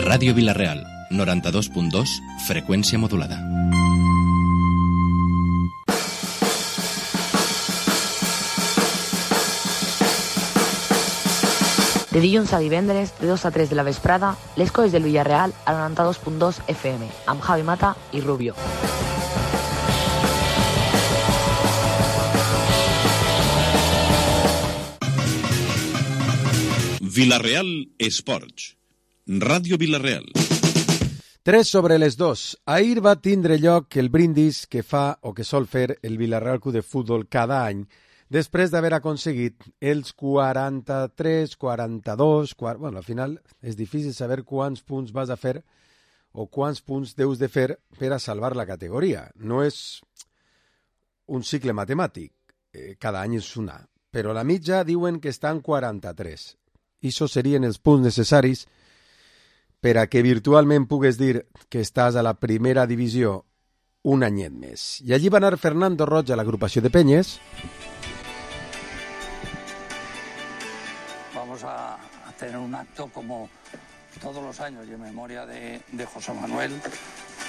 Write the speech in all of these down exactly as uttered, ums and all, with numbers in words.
Ràdio Vila-real, noranta-dos punt dos, freqüència modulada. De dilluns a divendres, de dos a tres de la vesprada, les coses del Villarreal a noranta-dos punt dos F M, amb Javi Mata i Rubio. Vila-real Esports. Ràdio Vila-real. Tres sobre les dos. Ahir va tindre lloc el brindis que fa o que sol fer el Vila-real Club de Futbol cada any, després d'haver aconseguit els quaranta-tres, quaranta-dos... quaranta... Bueno, al final és difícil saber quants punts vas a fer o quants punts deus de fer per a salvar la categoria. No és un cicle matemàtic, eh, cada any és una, però la mitja diuen que està en quaranta-tres. I això serien els punts necessaris per a que virtualment pugues dir que estàs a la primera divisió un anyet més. I allí va anar Fernando Roig a l'agrupació de Penyes. Vamos a, a tener un acto como todos los años y en memoria de, de José Manuel,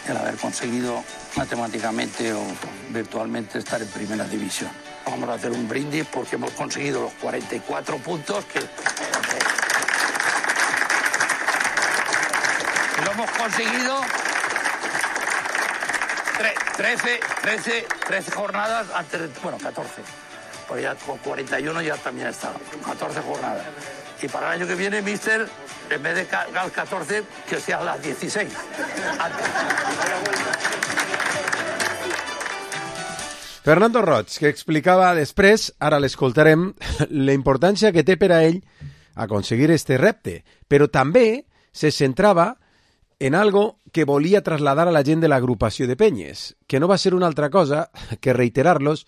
el haber conseguido matemáticamente o virtualmente estar en primera división. Vamos a hacer un brindis porque hemos conseguido los cuarenta y cuatro puntos que... Lo hemos conseguido trece, trece, trece jornadas antes de, bueno, catorce. Porque ya con cuarenta y uno ya también está, catorce jornadas. Y para el año que viene, mister, en vez de las catorce, que sean las dieciséis. Antes. Fernando Roig, que explicava després, ara l'escoltarem, la importància que té per a ell aconseguir este repte, però també se centrava en algo que volia trasladar a la gent de l'agrupació de Penyes, que no va ser una altra cosa que reiterar-los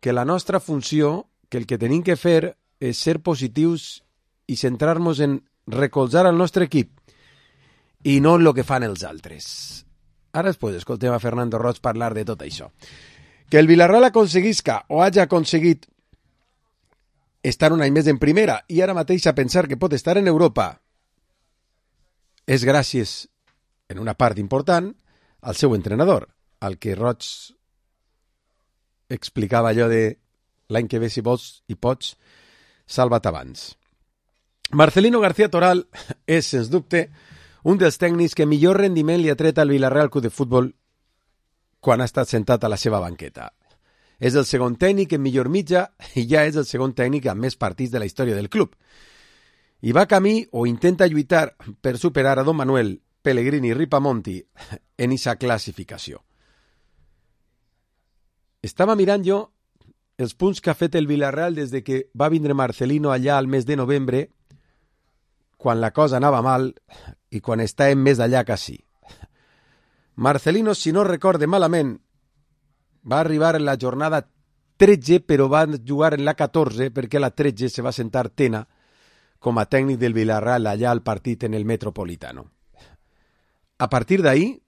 que la nostra funció, que el que tenim que fer és ser positius i centrar-nos en recolzar el nostre equip i no en el que fan els altres. Ara després escoltem a Fernando Roig parlar de tot això. Que el Villarreal aconseguisca o hagi aconseguit estar un any més en primera i ara mateix a pensar que pot estar en Europa és gràcies, en una part important, al seu entrenador, al que Roig explicava allò de l'any que ve, si vols i pots, salva't abans. Marcelino García Toral és, sens dubte, un dels tècnics que millor rendiment li ha tret al Villarreal Club de Futbol quan ha estat sentat a la seva banqueta. És el segon tècnic en millor mitja i ja és el segon tècnic amb més partits de la història del club. I va camí o intenta lluitar per superar a Don Manuel Pellegrini Ripamonti en esa classificació. Estava mirant jo els punts que ha fet el Villarreal des de que va vindre Marcelino allà al mes de novembre, quan la cosa anava mal i quan estàvem més allà que sí. Marcelino, si no recorde malament, va arribar en la jornada tretze, però va jugar en la catorze, perquè a la tretze se va sentar Tena com a tècnic del Villarreal allà al partit en el Metropolitano. A partir d'ahí,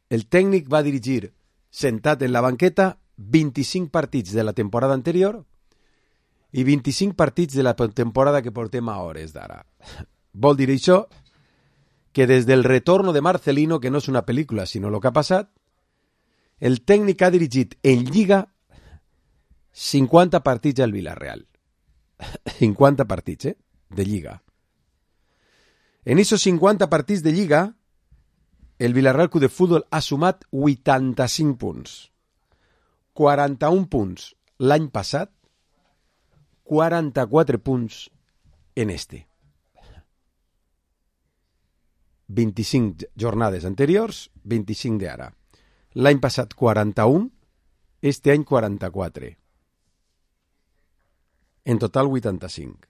el tècnic va dirigir, sentat en la banqueta, vint-i-cinc partits de la temporada anterior i vint-i-cinc partits de la temporada que portem a hores d'ara. Vol dir això que des del retorno de Marcelino, que no és una pel·lícula sinó el que ha passat, el tècnic ha dirigit en Lliga cinquanta partits al Villarreal. cinquanta partits, eh? De Lliga. En esos cinquanta partits de Lliga, el Villarreal Club de Futbol ha sumat vuitanta-cinc punts. quaranta-un punts l'any passat, quaranta-quatre punts en este. vint-i-cinc jornades anteriors, vint-i-cinc d'ara. L'any passat quaranta-un, este any quaranta-quatre. En total vuitanta-cinc.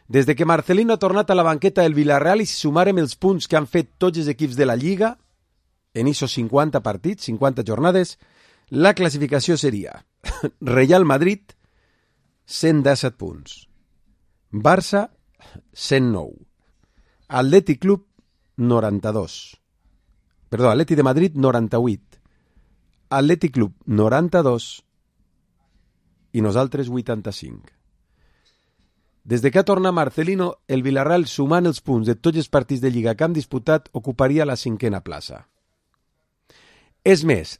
Des de que Marcelino ha tornat a la banqueta del Villarreal i si sumarem els punts que han fet tots els equips de la Lliga, en esos cinquanta partits, cinquanta jornades, la classificació seria Real Madrid, cent disset punts. Barça, cent nou. Atlètic Club, noranta-dos. Perdó, Atlètic de Madrid, noranta-vuit. Atlètic Club, noranta-dos. I nosaltres, vuitanta-cinc. Des de que ha tornat Marcelino, el Villarreal, sumant els punts de tots els partits de Lliga que han disputat, ocuparia la cinquena plaça. És més,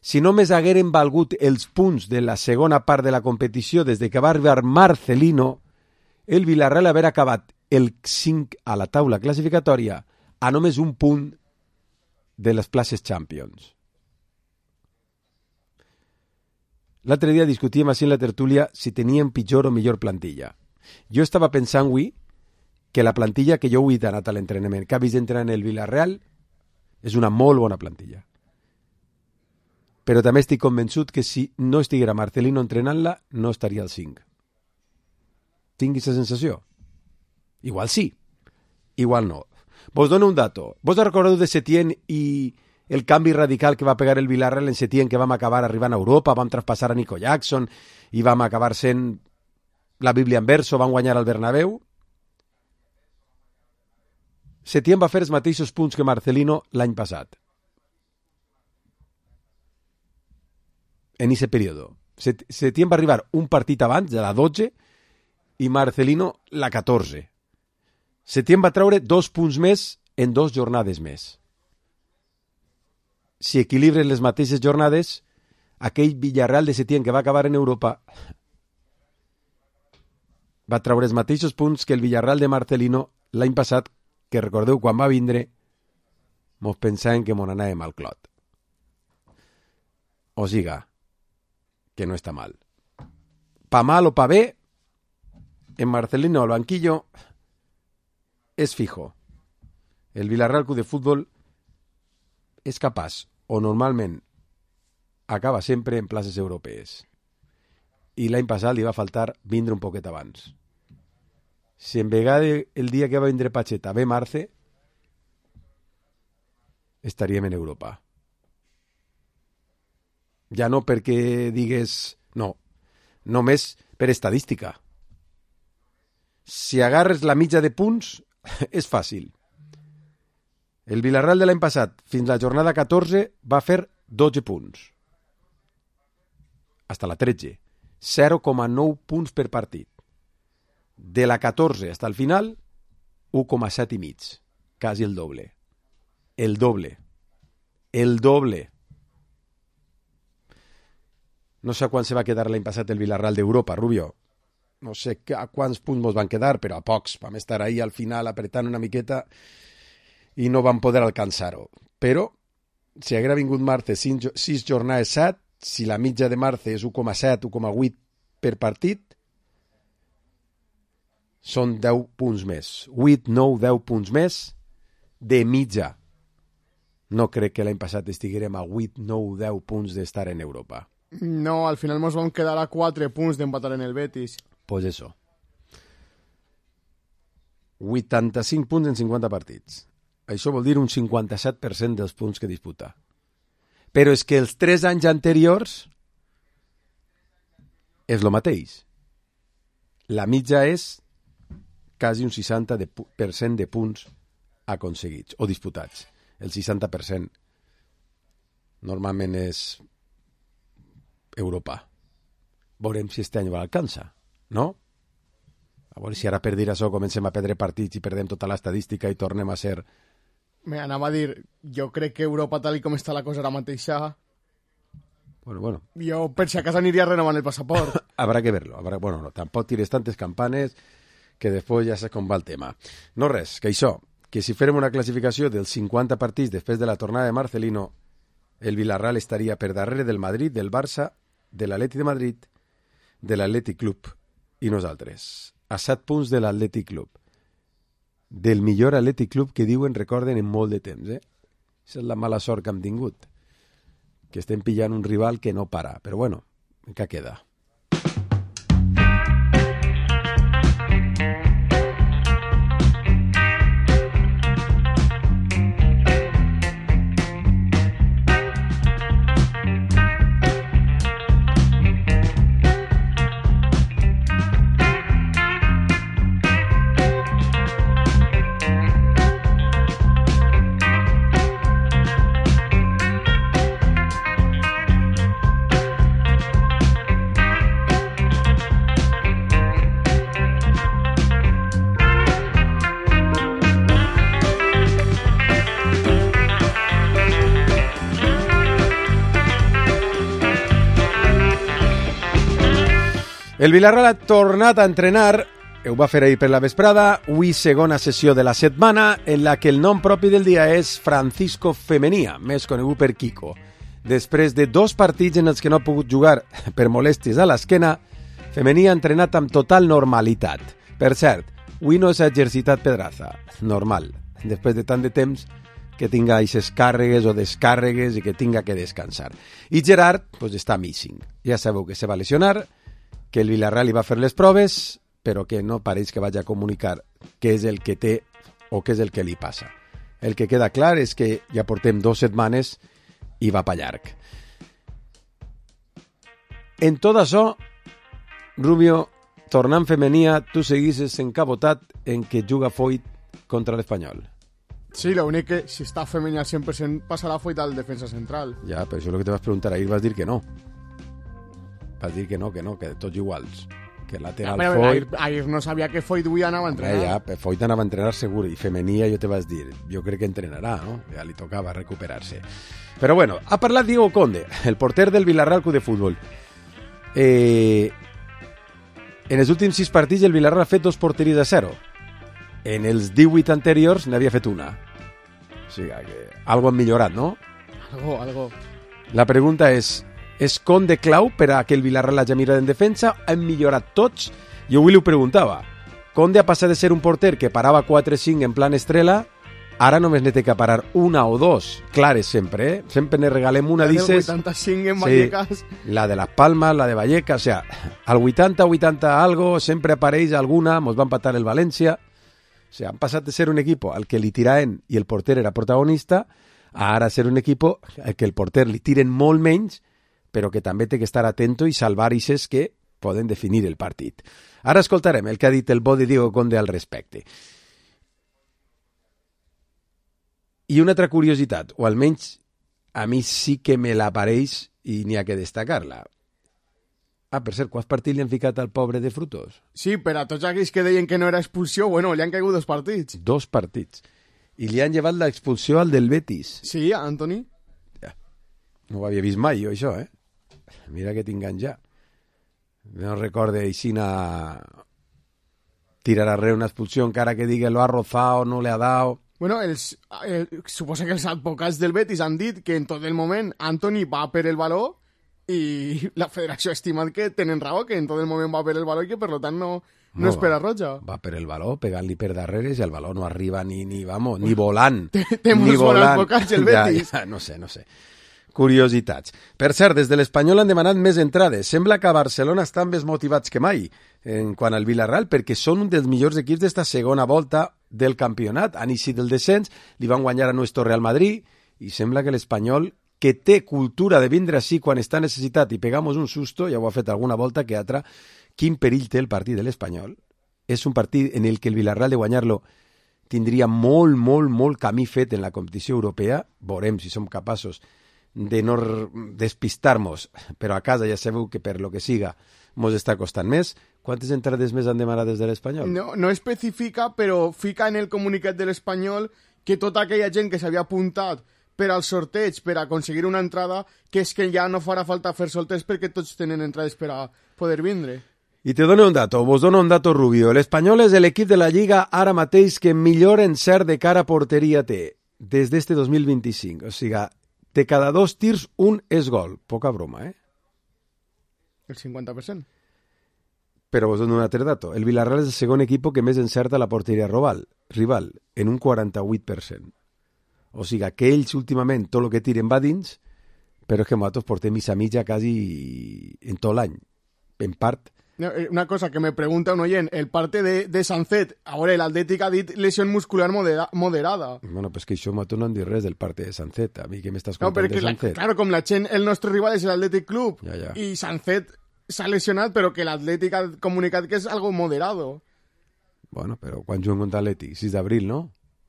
si només hagueren valgut els punts de la segona part de la competició des de que va arribar Marcelino, el Villarreal haver acabat el cinc a la taula classificatòria a només un punt de les places Champions. L'altre dia discutíem així en la tertúlia si teníem pitjor o millor plantilla. Jo estava pensant avui que la plantilla que jo avui he anat a l'entrenament, que ha vist entrenar en el Villarreal, és una molt bona plantilla. Però també estic convençut que si no estiguera Marcelino entrenant-la, no estaria al cinc. Tinguis la sensació? Igual sí, igual no. Vos dono un dato. Vos recordeu de Setién i el canvi radical que va pegar el Villarreal en Setién, que vam acabar arribant a Europa, vam traspassar a Nico Jackson i vam acabar sent la Bíblia en verso, van guanyar al Bernabéu? Setién va fer els mateixos punts que Marcelino l'any passat. En aquest període. Setién va arribar un partit abans, de la dotze, i Marcelino la catorze. Setién va treure dos punts més en dos jornades més. Si equilibren les mateixes jornades, aquell Villarreal de Setién que va acabar en Europa va treure els mateixos punts que el Villarreal de Marcelino l'any passat, que recordeu quan va vindre mos pensàvem que mos anàvem al clot. O siga, que no està mal. Pa mal o pa bé, en Marcelino al banquillo és fijo. El Villarreal Club de Fútbol és capaç, o normalment acaba sempre en places europees. I l'any passat li va faltar vindre un poquet abans. Si en vegada el dia que va vindre Pacheta ve Marce, estaríem en Europa. Ja no perquè digues... No, només per estadística. Si agarres la mitja de punts, és fàcil. El Villarreal de l'any passat, fins la jornada catorze, va fer dotze punts. Hasta la tretze. zero coma nou punts per partit. De la catorze hasta el final, u coma set i mig. Quasi el doble. El doble. El doble. No sé a quan se va quedar l'any passat el Villarreal d'Europa, Rubio. No sé a quants punts mos van quedar, però a pocs. Vam estar ahí al final apretant una miqueta i no vam poder alcançar-ho. Però, si haguera vingut Marce sis jornades set, si la mitja de Marce és u coma set, u coma vuit per partit, són deu punts més. vuit, nou, deu punts més de mitja. No crec que l'any passat estiguérem a vuit, nou, deu punts d'estar en Europa. No, al final ens vam quedar a quatre punts d'empatar en el Betis. Pues eso. vuitanta-cinc punts en cinquanta partits. Això vol dir un cinquanta-set per cent dels punts que disputa. Però és que els tres anys anteriors és el mateix. La mitja és quasi un seixanta per cent de punts aconseguits o disputats. El seixanta per cent normalment és Europa. Veurem si este any l'alcança, no? A veure si ara per dir això comencem a perdre partits i perdem tota l'estadística i tornem a ser... Me anava a dir, jo crec que Europa, tal com està la cosa ara mateixa... Bueno, bueno. Jo per si acaso aniria renovant el passaport. Habrá que verlo. Habrá... Bueno, no, tampoc tires tantes campanes que després ja sé com va el tema. No res, que això, que si férem una classificació dels cinquanta partits després de la tornada de Marcelino, el Villarreal estaria per darrere del Madrid, del Barça, de l'Atlètic de Madrid, de l'Atlètic Club i nosaltres. A set punts de l'Atlètic Club. Del millor Atlètic Club que diuen, recorden, en molt de temps, eh? Aquesta és la mala sort que hem tingut. Que estem pillant un rival que no para. Però bueno, encara queda. El Villarreal ha tornat a entrenar, ho va fer ahir per la vesprada, avui segona sessió de la setmana, en la que el nom propi del dia és Francisco Femenia, més conegut per Kiko. Després de dos partits en els que no ha pogut jugar per molèsties a l'esquena, Femenia ha entrenat amb total normalitat. Per cert, avui no s'ha exercitat Pedraza, normal, després de tant de temps que tinga aquestes càrregues o descàrregues i que tinga que descansar. I Gerard pues, està missing. Ja sabeu que se va lesionar, que el Villarreal li va fer les proves, però que no pareix que vagi a comunicar què és el que té o què és el que li passa. El que queda clar és que ja portem dues setmanes i va pa llarg. En tot això, Rubio, tornant Femenia, tu seguisses encabotat en que juga Foyt contra l'Espanyol. Sí, l'únic que si està Femenia al cent per cent passarà Foyt al defensa central. Ja, però això és el que te vas preguntar ahir, vas dir que no. Vas dir que no, que no, que tots iguals. Que lateral ja, Foyt... Ahir, ahir no sabia que Foyt avui anava a entrenar. Ja, ja, Foyt anava a entrenar segur, i Femenia jo te vas dir, jo crec que entrenarà, no? Ja li tocava recuperar-se. Però bueno, ha parlat Diego Conde, el porter del Villarreal Club de Futbol. Eh, en els últims sis partits el Villarreal ha fet dos porteries a zero. En els divuit anteriors n'havia fet una. O sigui que algo han millorat, no? Algo, algo. La pregunta és... És Conde clau per a que el Villarreal hagi mirat en defensa? Han millorat tots? Jo avui li ho preguntava. Conde ha passat de ser un porter que parava quatre cinc en plan estrela, ara només n'he que parar una o dos, clares sempre, eh? Sempre ne regalem una, la dices... del vuitanta-cinc en Vallecas. Sí, la de Las Palmas, la de Vallecas, o sea, al vuitanta vuitanta algo sempre apareix alguna, mos va empatar el València, o sea, han passat de ser un equipo al que li tiraven i el porter era protagonista, a ara ser un equipo al que el porter li tiren molt menys, però que també té que estar atento i salvar ixes que poden definir el partit. Ara escoltarem el que ha dit el bo de Diego Conde al respecte. I una altra curiositat, o almenys a mi sí que me l'apareix i n'hi ha que destacar-la. Ah, per cert, quants partits li han ficat al pobre de Frutos? Sí, per a tots aquells que deien que no era expulsió, bueno, li han caigut dos partits. Dos partits. I li han llevat l'expulsió al del Betis. Sí, Antoni. Ja. No ho havia vist mai, jo, això, eh? Mira que tingan ja. No recorde Aixina tirar arreu una expulsió encara que digui lo ha rozado, no le ha dado. Bueno, els, eh, suposa que els advocats del Betis han dit que en tot el moment Antoni va per el baló i la federació ha estimat que tenen raó, que en tot el moment va per el baló i que per tant no, no, no espera roja. Va per el baló, pegant-li per darrere i el baló no arriba ni, ni vamos, ni volant. Té molts bons advocats el Betis. Ja, ja, no sé, no sé. Curiositats. Per cert, des de l'Espanyol han demanat més entrades. Sembla que a Barcelona estan més motivats que mai en quant al Villarreal, perquè són un dels millors equips d'esta segona volta del campionat. Han eixit del descens, li van guanyar a nuestro Real Madrid, i sembla que l'Espanyol, que té cultura de vindre així quan està necessitat i pegamos un susto, ja ho ha fet alguna volta que altra, quin perill té el partit de l'Espanyol. És un partit en el que el Villarreal de guanyar-lo tindria molt, molt, molt camí fet en la competició europea. Veurem si som capaços de no despistar-nos, però a casa ja sabeu que per lo que siga mos està costant més. Quantes entrades més han demanat des de l'Espanyol? No, no especifica, però fica en el comunicat de l'Espanyol que tota aquella gent que s'havia apuntat per al sorteig, per aconseguir una entrada, que és que ja no farà falta fer sorteig perquè tots tenen entrades per a poder vindre. I te dono un dato, vos dono un dato, Rubio. L'Espanyol és l'equip de la Lliga ara mateix que millor encert de cara a porteria té des d'este dos mil vint-i-cinc. O sigui, de cada dos tirs, un és gol. Poca broma, eh? El cinquanta per cent. Però vos dono un altre dato. El Villarreal és el segon equip que més encerta la porteria rival, rival en un quaranta-vuit per cent. O sigui, que ells últimament tot el que tiren va dins, però és que nosaltres portem missa mitja quasi en tot l'any. En part... Una cosa que me pregunta un oient, el parte de, de Sancet, a veure, l'Atlètic ha dit lesió muscular modera, moderada. Bueno, pues que això nosaltres no han dit res del parte de Sancet. A mi que m'estàs contant no, de Sancet. La, claro, com la gent, el nostre rival és l'Atlètic Club, ja, ja. I Sancet s'ha lesionat, però que l'Atlètic ha comunicat que és algo moderado. Bueno, però quan juguen contra l'Atlètic? sis d'abril, no?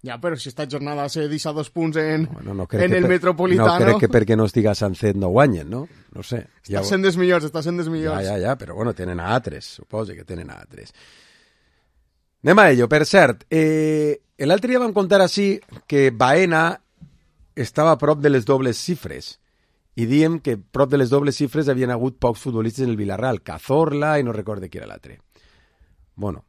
Ja, però si esta jornada se deixa dos punts en, no, no en el per, Metropolitano... No crec que perquè no estiga Sancet no guanyen, no? No sé. Està ja, sent dels millors, està sent dels millors. Ja, ja, ja, però bueno, tenen a altres, suposo que tenen a altres. Anem a ello, per cert. Eh, l'altre dia vam contar així que Baena estava a prop de les dobles xifres i diem que prop de les dobles xifres havien hagut pocs futbolistes en el Villarreal, Cazorla i no recorde qui era l'altre. Bueno,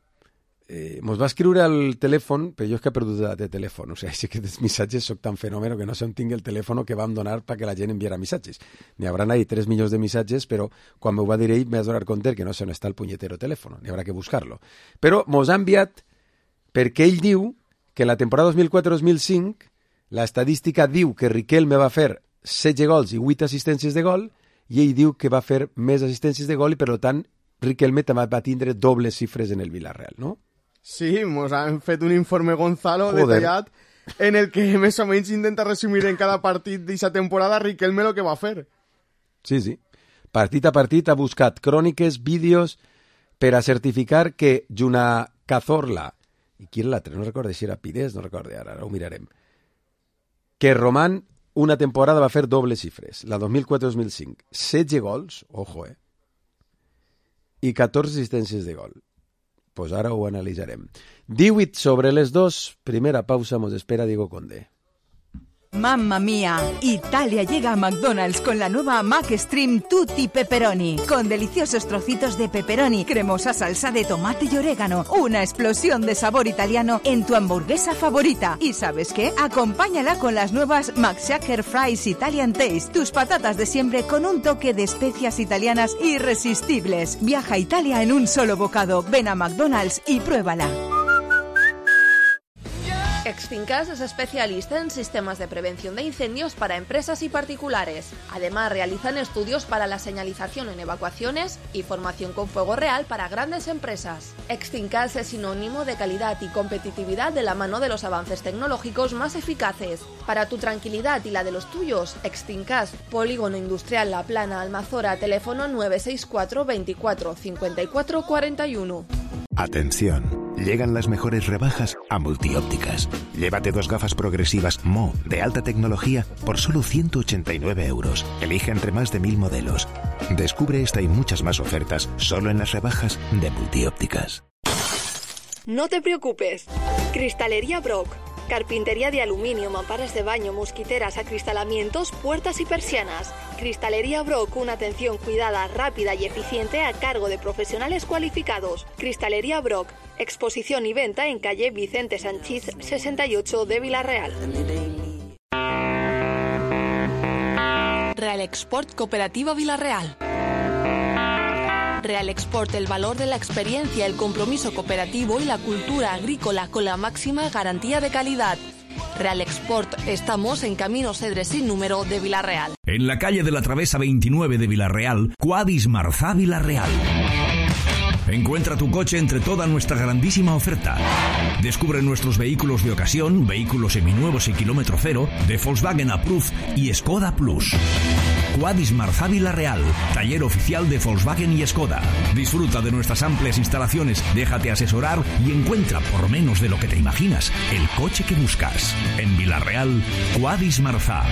eh, mos va escriure al telèfon, però jo és que he perdut de, de telèfon, o sigui, sí que dels missatges soc tan fenòmeno que no sé on tinc el telèfon que vam donar perquè la gent enviara missatges. N'hi haurà ahí tres milions de missatges, però quan m'ho va dir ell m'he de donar compte que no sé on està el punyetero telèfon, n'hi haurà que buscar-lo. Però mos ha enviat perquè ell diu que la temporada dos mil quatre dos mil cinc l'estadística diu que Riquelme va fer setze gols i vuit assistències de gol i ell diu que va fer més assistències de gol i per tant Riquelme també va tindre dobles xifres en el Villarreal, no? Sí, mos han fet un informe Gonzalo Joder. detallat en el que més o menys intenta resumir en cada partit d'aquesta temporada Riquelme el que va fer. Sí, sí. Partit a partit ha buscat cròniques, vídeos, per a certificar que junt a Cazorla, i qui era l'altre? No recordo si era Pires, no recordo, ara, ara ho mirarem, que Román una temporada va fer dobles xifres, la dos mil quatre dos mil cinc. setze gols, ojo, eh? I catorze assistències de gol. Pues ara ho analitzarem. divuit sobre les dos, primera pausa, mos espera Diego Conde. ¡Mamma mía! Italia llega a McDonald's con la nueva McStream Tutti Pepperoni, con deliciosos trocitos de pepperoni, cremosa salsa de tomate y orégano, una explosión de sabor italiano en tu hamburguesa favorita. ¿Y sabes qué? Acompáñala con las nuevas McShaker Fries Italian Taste, tus patatas de siempre con un toque de especias italianas irresistibles. Viaja a Italia en un solo bocado. Ven a McDonald's y pruébala. Extincas es especialista en sistemas de prevención de incendios para empresas y particulares. Además, realizan estudios para la señalización en evacuaciones y formación con fuego real para grandes empresas. Extincas es sinónimo de calidad y competitividad de la mano de los avances tecnológicos más eficaces. Para tu tranquilidad y la de los tuyos, Extincas, Polígono Industrial La Plana, Almazora, teléfono nueve seis cuatro veinticuatro cincuenta y cuatro cuarenta y uno. Atención, llegan las mejores rebajas a Multiópticas. Llévate dos gafas progresivas Mo de alta tecnología por solo ciento ochenta y nueve euros. Elige entre más de mil modelos. Descubre esta y muchas más ofertas solo en las rebajas de Multiópticas. No te preocupes. Cristalería Brock. Carpintería de aluminio, mamparas de baño, mosquiteras, acristalamientos, puertas y persianas. Cristalería Brock, una atención cuidada, rápida y eficiente a cargo de profesionales cualificados. Cristalería Brock, exposición y venta en calle Vicente Sanchís sesenta y ocho de Villarreal. Real Export Cooperativa Villarreal. Real Export, el valor de la experiencia, el compromiso cooperativo y la cultura agrícola con la máxima garantía de calidad. Real Export, estamos en Camino Cedre sin número de Villarreal. En la calle de la Travesa veintinueve de Villarreal, Quadis Marzá Villarreal. Encuentra tu coche entre toda nuestra grandísima oferta. Descubre nuestros vehículos de ocasión, vehículos seminuevos y kilómetro cero, de Volkswagen Approved y Skoda Plus. Quadis Marzá Villarreal, taller oficial de Volkswagen y Skoda. Disfruta de nuestras amplias instalaciones, déjate asesorar y encuentra, por menos de lo que te imaginas, el coche que buscas. En Villarreal, Quadis Marzá.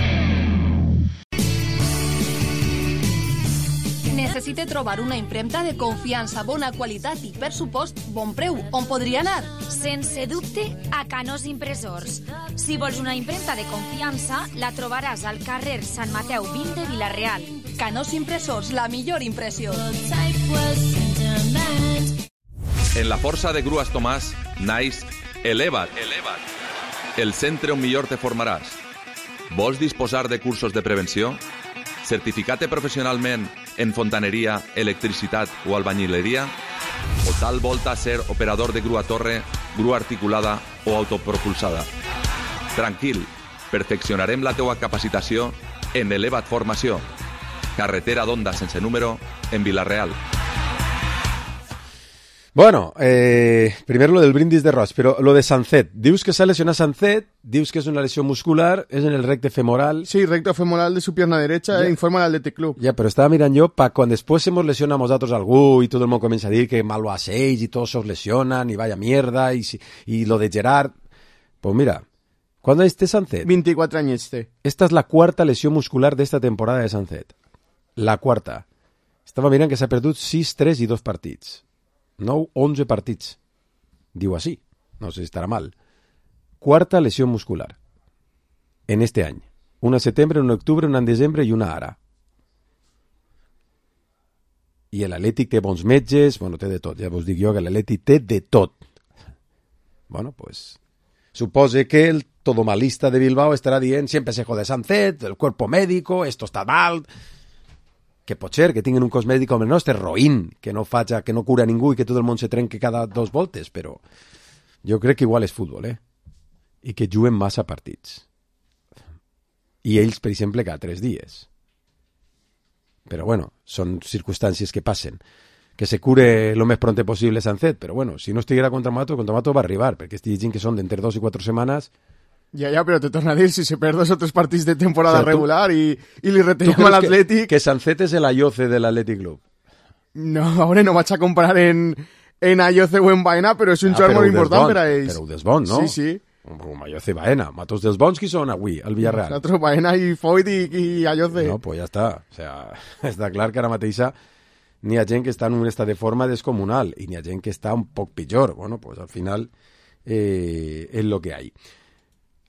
Necessite trobar una impremta de confiança, bona qualitat i, per supost, bon preu. On podria anar? Sense dubte, a Canós Impressors. Si vols una impremta de confiança, la trobaràs al carrer Sant Mateu vint de Villarreal. Canós Impressors, la millor impressió. En la força de Grues Tomàs, naix Eleva't. Eleva't. El centre on millor te formaràs. Vols disposar de cursos de prevenció? Certificat-te professionalment en fontaneria, electricitat o albañileria? O tal volta ser operador de grua torre, grua articulada o autopropulsada? Tranquil, perfeccionarem la teua capacitació en Eleva't Formació. Carretera d'Onda sense número en Villarreal. Bueno, eh, primero lo del brindis de Roig, pero lo de Sancet. Dius que s'ha lesionat Sancet, dius que és una lesió muscular, és en el recte femoral. Sí, recto femoral de su pierna derecha, ja. eh, informa al Athletic Club. Ya, pero estaba mirando yo, para cuando después hemos lesionado a nosotros algú y todo el mundo comienza a decir que malo a seis y todos os lesionan y vaya mierda y, y lo de Gerard. Pues mira, ¿cuándo es este Sancet? veinticuatro años este. Esta es la cuarta lesión muscular de esta temporada de Sancet. La cuarta. Estava mirant que s'ha perdut sis tres i dos partits. nou onze partits. Diu així. No sé si estarà mal. Cuarta lesión muscular. En este any. Una en setembre, una en octubre, una en desembre i una ara. i l'Atlètic té bons metges, bueno, té de tot, ja vos dic jo que l'Atlètic té de tot. Bueno, pues supose que el todomalista de Bilbao estarà dient siempre se jode Sancet, el cuerpo médico, esto está mal, que pot ser que tinguin un cos mèdic com el nostre, roïn, que no faja, que no cura ningú i que tot el món se trenque cada dos voltes, però jo crec que igual és futbol, eh? I que juguen massa partits. I ells, per exemple, cada tres dies. Però bueno, són circumstàncies que passen. Que se cure lo més pronte possible Sancet, però bueno, si no estiguera contra Mato, contra Mato va arribar, perquè estic llegint que són d'entre dos i quatre setmanes. Ja, ja, però te torno a dir, si se perd dos o tres partits de temporada, o sea, regular i, i li retallem a l'Atlètic... Que, que Sancet és l'Ayoce de l'Atlètic Club. No, ara no vaig a comparar en, en Ayoce o en Baena, però és un ah, jugador molt important per a ells. Però ho des bon, no? Sí, sí. Com Ayoce i Baena. Matos dels bons qui són avui, al Villarreal. Nosaltres Baena i Foyt i, i Ayoce. No, pues ja està. O sea, està clar que ara mateixa n'hi ha gent que està en un estat de forma descomunal i n'hi ha gent que està un poc pitjor. Bueno, pues al final eh, és lo que hay.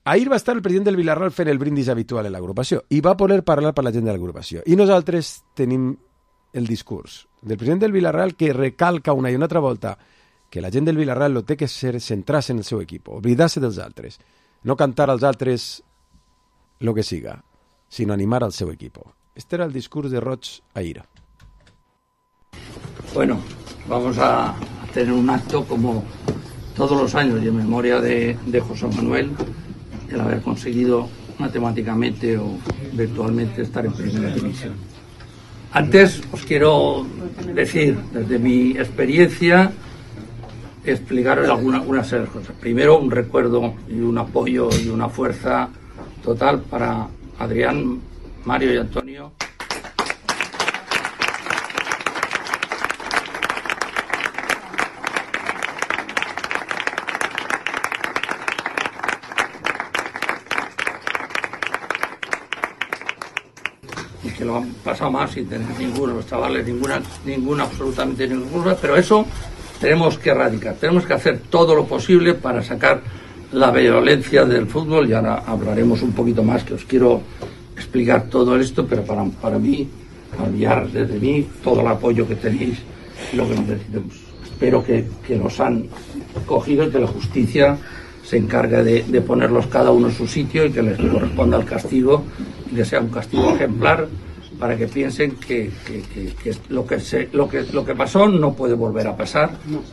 Ahir va estar el president del Villarreal fent el brindis habitual en l'agrupació i va poder parlar per la gent de l'agrupació. I nosaltres tenim el discurs del president del Villarreal que recalca una i una altra volta que la gent del Villarreal lo té que ser centrar-se en el seu equip, oblidar-se dels altres, no cantar als altres lo que siga, sinó animar al seu equip. Este era el discurs de Roig ahir. Bueno, vamos a tener un acto como todos los años y en memoria de, de José Manuel, el haber conseguido matemáticamente o virtualmente estar en primera división. Antes os quiero decir, desde mi experiencia, explicaros algunas una serie de cosas. Primero, un recuerdo y un apoyo y una fuerza total para Adrián, Mario y Antonio. Y que lo han pasado más sin tener ninguno, los chavales, ninguna, ninguna, absolutamente ninguna, pero eso tenemos que erradicar, tenemos que hacer todo lo posible para sacar la violencia del fútbol y ahora hablaremos un poquito más, que os quiero explicar todo esto, pero para, para mí, enviar desde mí todo el apoyo que tenéis y lo que necesitemos. Espero que, que los han cogido y que la justicia se encargue de, de ponerlos cada uno en su sitio y que les corresponda el castigo y que sea un castigo ejemplar para que piensen que, que, que, que, lo, que se, lo, que lo que pasó no puede volver a pasar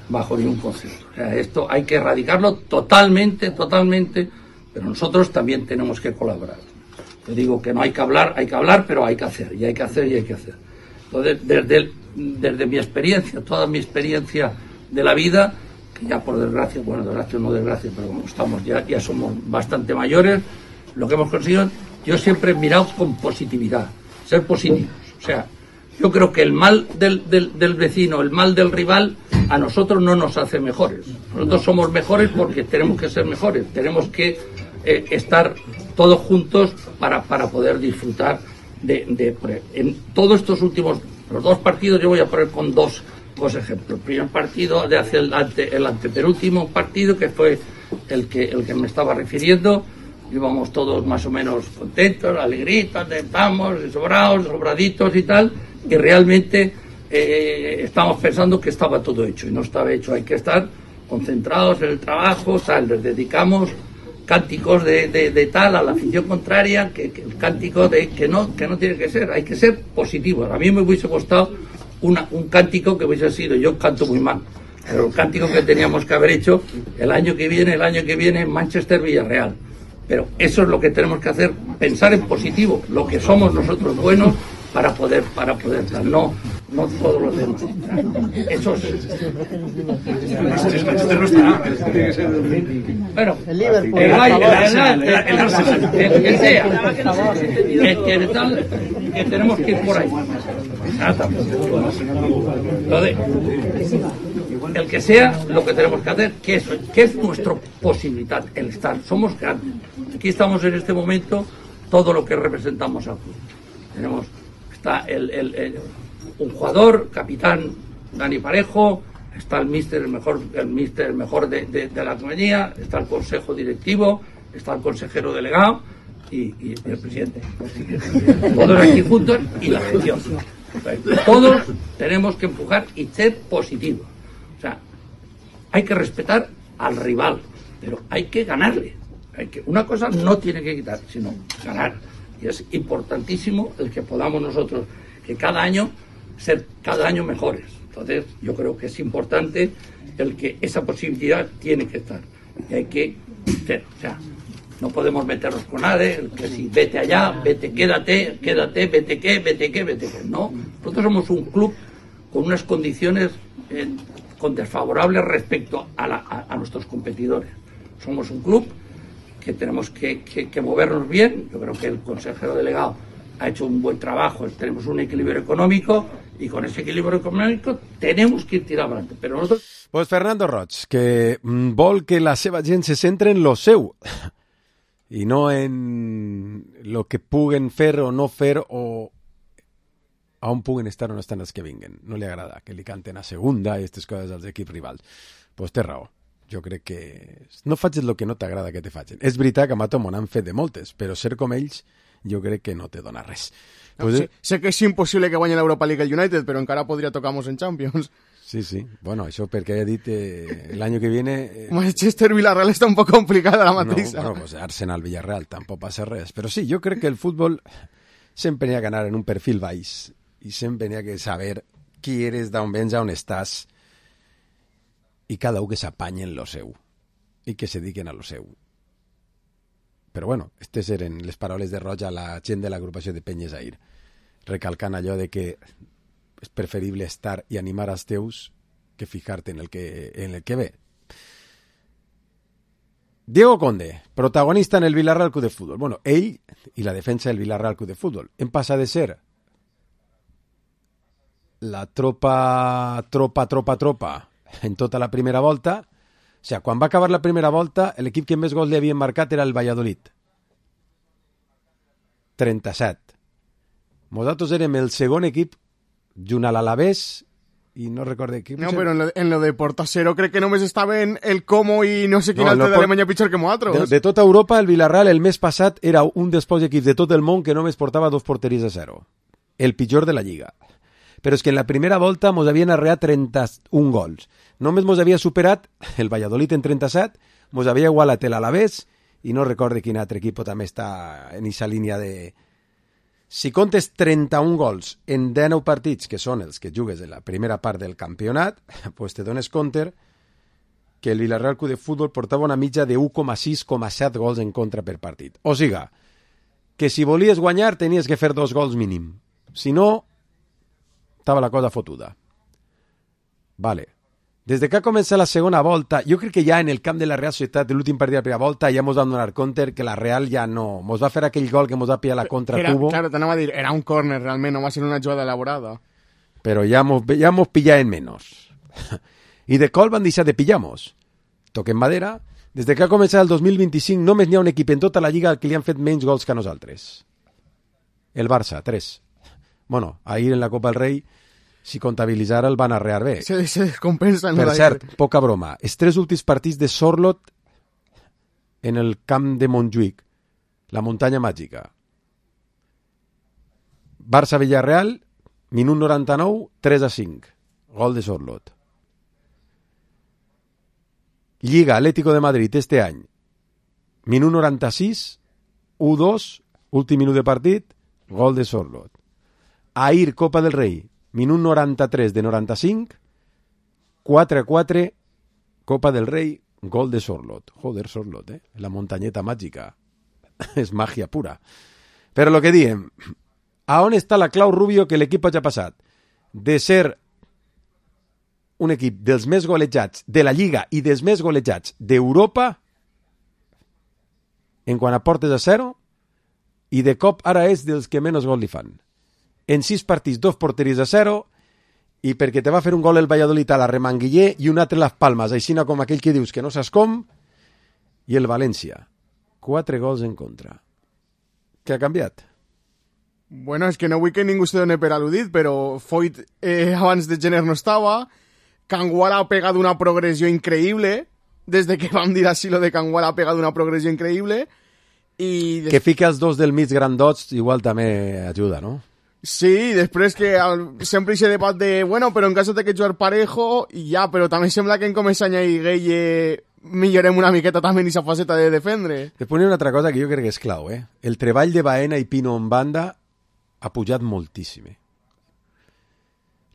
bajo ningún concepto. O sea, esto hay que erradicarlo totalmente, totalmente, pero nosotros también tenemos que colaborar. Yo digo que no hay que hablar, hay que hablar, pero hay que hacer, y hay que hacer, y hay que hacer. Entonces, desde, el, desde mi experiencia, toda mi experiencia de la vida, que ya por desgracia, bueno, desgracia o no desgracia, pero como estamos, ya, ya somos bastante mayores, lo que hemos conseguido, yo siempre he mirado con positividad. Ser positivos. O sea, yo creo que el mal del, del, del vecino, el mal del rival, a nosotros no nos hace mejores. Nosotros somos mejores porque tenemos que ser mejores. Tenemos que eh, estar todos juntos para, para poder disfrutar de, de... En todos estos últimos... Los dos partidos yo voy a poner con dos, dos ejemplos. El primer partido de hace el, ante, el antepenúltimo partido, que fue el que, el que me estaba refiriendo. Íbamos todos más o menos contentos, alegritos, estamos, sobrados, sobraditos y tal, y realmente eh, estamos pensando que estaba todo hecho, y no estaba hecho. Hay que estar concentrados en el trabajo, tal, les dedicamos cánticos de, de, de tal a la afición contraria, que, que el cántico de que no, que no tiene que ser, hay que ser positivos. A mí me hubiese gustado una, un cántico que hubiese sido, yo canto muy mal, pero el cántico que teníamos que haber hecho el año que viene, el año que viene, Manchester Villarreal. Pero eso es lo que tenemos que hacer, pensar en positivo, lo que somos nosotros buenos para poder para poder dar, no, no todos los demás. Eso es. Bueno, el Liverpool, el que sea, que tenemos que ir por ahí. El que sea, lo que tenemos que hacer, que es, que es nuestra posibilidad, el estar. Somos grandes. Aquí estamos en este momento, todo lo que representamos al club. Tenemos, está el, el, el, un jugador, capitán Dani Parejo, está el míster, el mejor, el míster, el mejor de, de, de la compañía, está el consejo directivo, está el consejero delegado y, y el presidente. Todos aquí juntos y la gestión. Todos tenemos que empujar y ser positivos. O sea, hay que respetar al rival, pero hay que ganarle. Hay que, una cosa no tiene que quitar, sino ganar. Y es importantísimo el que podamos nosotros, que cada año, ser cada año mejores. Entonces, yo creo que es importante el que esa posibilidad tiene que estar. Y hay que hacer, o sea, no podemos meternos con nadie, el que si vete allá, vete, quédate, quédate, vete qué, vete qué, vete qué. No, nosotros somos un club con unas condiciones eh, con desfavorables respecto a, la, a, a nuestros competidores. Somos un club que tenemos que, que, que movernos bien. Yo creo que el consejero delegado ha hecho un buen trabajo, tenemos un equilibrio económico y con ese equilibrio econòmic tenemos que ir tirant adelante. Pero nosotros... Pues Fernando Roig, que vol que la seva gent se centre en lo seu i no en lo que puguen fer o no fer o a on puguen estar o no estan els que vinguen. No li agrada que li canten a segunda i aquestes coses als equips rivals. Pues té raó. Jo crec que no facis el que no t'agrada que te facin. És veritat que a Mato m'han fet de moltes, però ser com ells jo crec que no te dona res. No, pues, sé, sé que és impossible que guanyi l'Europa League el United, però encara podria tocar-nos en Champions. Sí, sí. Bueno, això perquè he dit eh, el año que viene... Eh... Manchester-Villarreal està un poc complicada la mateixa. No, bueno, pues Arsenal-Villarreal tampoc passa res. Però sí, jo crec que el futbol sempre n'hi ha que anar en un perfil baix i sempre n'hi ha que saber qui eres, d'on vens, on estàs i cada un que s'apanye en lo seu i que se dediquen a lo seu. Però bueno, aquestes eren les paraules de Roig a la gent de l'agrupació de Penyes Air, recalcant allò de que és preferible estar i animar als teus que fijar-te en el que, en el que ve. Diego Conde, protagonista en el Villarreal Club de Fútbol. Bueno, ell i la defensa del Villarreal Club de Fútbol hem passat de ser la tropa, tropa, tropa, tropa en tota la primera volta. O sigui, quan va acabar la primera volta, l'equip que més gols li havien marcat era el Valladolid. trenta-set. Nosaltres érem el segon equip junt a l'Alavés i no recordo equip. No, però en lo, en lo de Portasero crec que només estaven el Como i no sé quin no, altre no, d'Alemanya pitjor que nosaltres. De, de tota Europa, el Villarreal el mes passat era un dels pocs equips de tot el món que només portava dos porteries a zero. El pitjor de la Lliga. Però és que en la primera volta mos havien arreat trenta-un gols. Només mos havia superat el Valladolid en trenta-set, mos havia igualat l'Alavés i no recorde quin altre equip també està en aquesta línia de... Si comptes trenta-un gols en dinou partits, que són els que jugues en la primera part del campionat, pues te dones compte que el Villarreal Club de Fútbol portava una mitja de u coma sis coma set gols en contra per partit. O siga, que si volies guanyar tenies que fer dos gols mínim. Si no, estava la cosa fotuda. Vale. Des de que ha començat la segona volta, jo crec que ja en el camp de la Real Societat, de l'últim partit de la primera volta, ja mos vam donar compte que la Real ja no... Mos va fer aquell gol que mos va pillar la contra era, tubo. Claro, t'anava a dir, era un córner realment, no va ser una jugada elaborada. Però ja mos, ja mos pillaven menys. I de col van deixar de pillar-mos. Toquem madera. Des de que ha començat el dos mil vint-i-cinc només n'hi ha un equip en tota la Lliga que li han fet menys gols que a nosaltres. El Barça, tres. Bueno, ahir en la Copa del Rei, si comptabilitzar el van arrear bé. Se, se descompensa. Per cert, poca broma. Els tres últims partits de Sorlot en el camp de Montjuïc, la muntanya màgica. Barça-Villarreal, minut noranta-nou, tres a cinc. Gol de Sorlot. Lliga Atlético de Madrid este any. Minut noranta-sis, u dos, últim minut de partit, gol de Sorlot. Ahir, Copa del Rei, minut noranta-tres de noranta-cinc, quatre a quatre, Copa del Rei, gol de Sorlot. Joder, Sorlot, eh? La muntanyeta màgica. És màgia pura. Però lo que diem, a on està la clau, Rubio, que l'equip hagi passat de ser un equip dels més golejats de la Lliga i dels més golejats d'Europa en quant a portes a zero i de cop ara és dels que menys gol li fan. En sis partits, dos porteries a zero, i perquè te va fer un gol el Valladolid a la Remanguiller i un altre Las Palmas, així com aquell que dius que no saps com, i el València. Quatre gols en contra. Què ha canviat? Bueno, és que no vull que ningú se doni per al·ludit, però Foyt eh, abans de gener no estava, Canguala ha pegat una progressió increïble, des de que vam dir així lo de Canguala ha pegat una progressió increïble, i... Des... Que fica els dos del mig grandots igual també ajuda, no? Sí, després que el, sempre hi ha debat de, bueno, però en cas de que jugar parejo, i ja, però també sembla que en comença a añadir Gueye millorem una miqueta també en aquesta faceta de defendre. Després hi ha una altra cosa que jo crec que és clau, eh? El treball de Baena i Pino en banda ha pujat moltíssim.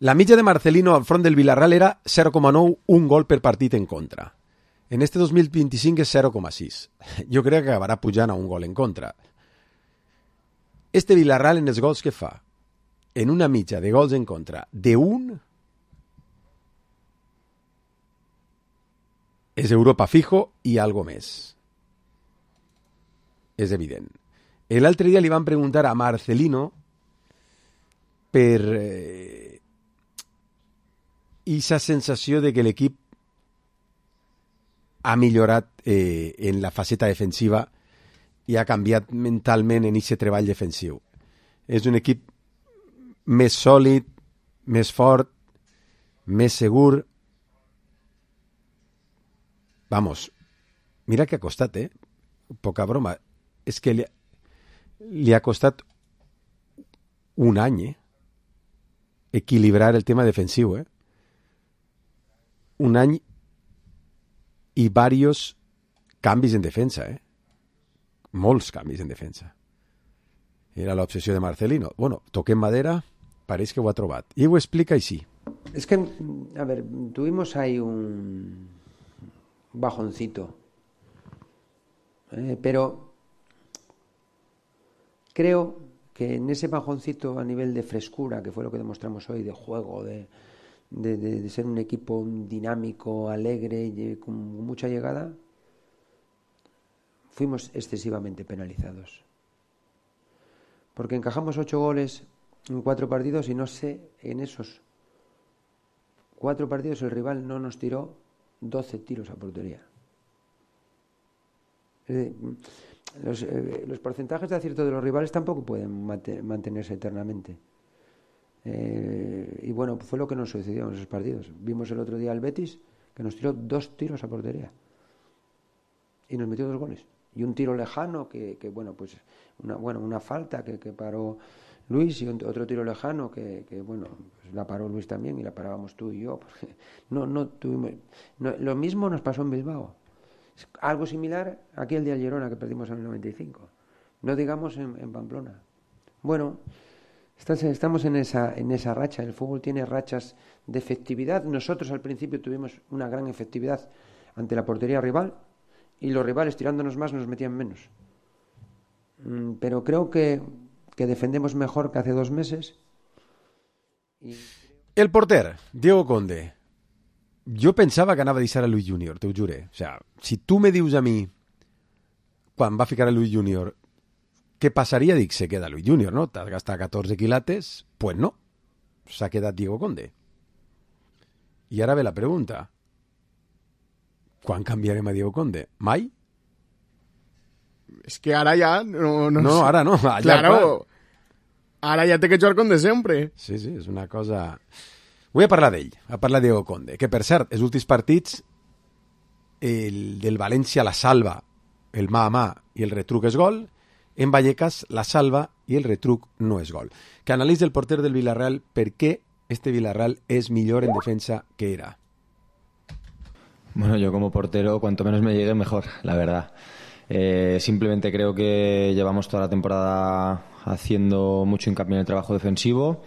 La mitja de Marcelino al front del Villarreal era zero coma nou, un gol per partit en contra. En este dos mil vint-i-cinc és zero coma sis. Jo crec que acabarà pujant a un gol en contra. Este Villarreal en els gols que fa, en una mitja de gols en contra de un, és Europa fijo i algo més. És evident. L'altre dia li van preguntar a Marcelino per eh, esa sensació de que l'equip ha millorat eh, en la faceta defensiva i ha canviat mentalment en aquest treball defensiu. És un equip més sòlid, més fort, més segur. Vamos, mira que ha costat, eh? Poca broma. És que li, li ha costat un any, eh? Equilibrar el tema defensiu, eh? Un any i varios canvis en defensa, eh? Molts canvis en defensa. Era l'obsessió de Marcelino. Bueno, toquem madera, pareix que ho ha trobat. I ho explica així. Es que, a ver, tuvimos ahí un bajoncito. Eh, pero creo que en ese bajoncito a nivel de frescura, que fue lo que demostramos hoy, de juego, de, de, de, de ser un equipo dinámico, alegre y con mucha llegada, fuimos excesivamente penalizados. Porque encajamos ocho goles en cuatro partidos y no sé, en esos cuatro partidos el rival no nos tiró doce tiros a portería. Eh, los, eh, los porcentajes de acierto de los rivales tampoco pueden mate, mantenerse eternamente. Eh, y bueno, fue lo que nos sucedió en esos partidos. Vimos el otro día al Betis que nos tiró dos tiros a portería y nos metió dos goles. Y un tiro lejano que, que bueno, pues una, bueno, una falta que, que paró Luis y un, otro tiro lejano que, que bueno, pues la paró Luis también y la parábamos tú y yo. Porque no, no tuvimos, no, lo mismo nos pasó en Bilbao. Algo similar aquí el día de Girona que perdimos en el noventa y cinco. No digamos en, en Pamplona. Bueno, estamos en esa, en esa racha. El fútbol tiene rachas de efectividad. Nosotros al principio tuvimos una gran efectividad ante la portería rival y los rivales tirándonos más nos metían menos. Pero creo que, que defendemos mejor que hace dos meses. Y... El porter, Diego Conde. Jo pensava que anava a deixar a Luis Junior, t'ho juré. O sea, si tu me dius a mi, quan va ficar a Luis Junior, què passaria? Dic, se queda Luis Junior, no? T'has gastat catorze quilates? Pues no. S'ha quedat Diego Conde. I ara ve la pregunta. Quan canviarem a Diego Conde? Mai? És que ara ja... No, no, no sé. ara no. Allà claro. Ara ja té que jugar com de sempre. Sí, sí, és una cosa... Vull a parlar d'ell, a parlar de Diego Conde, que per cert, els últims partits, el del València la salva, el mà a mà i el retruc és gol, en Vallecas la salva i el retruc no és gol. Que analitza el porter del Villarreal per què este Villarreal és millor en defensa que era. Bueno, yo como portero, cuanto menos me llegue, mejor, la verdad. Eh, simplemente creo que llevamos toda la temporada haciendo mucho hincapié en el trabajo defensivo,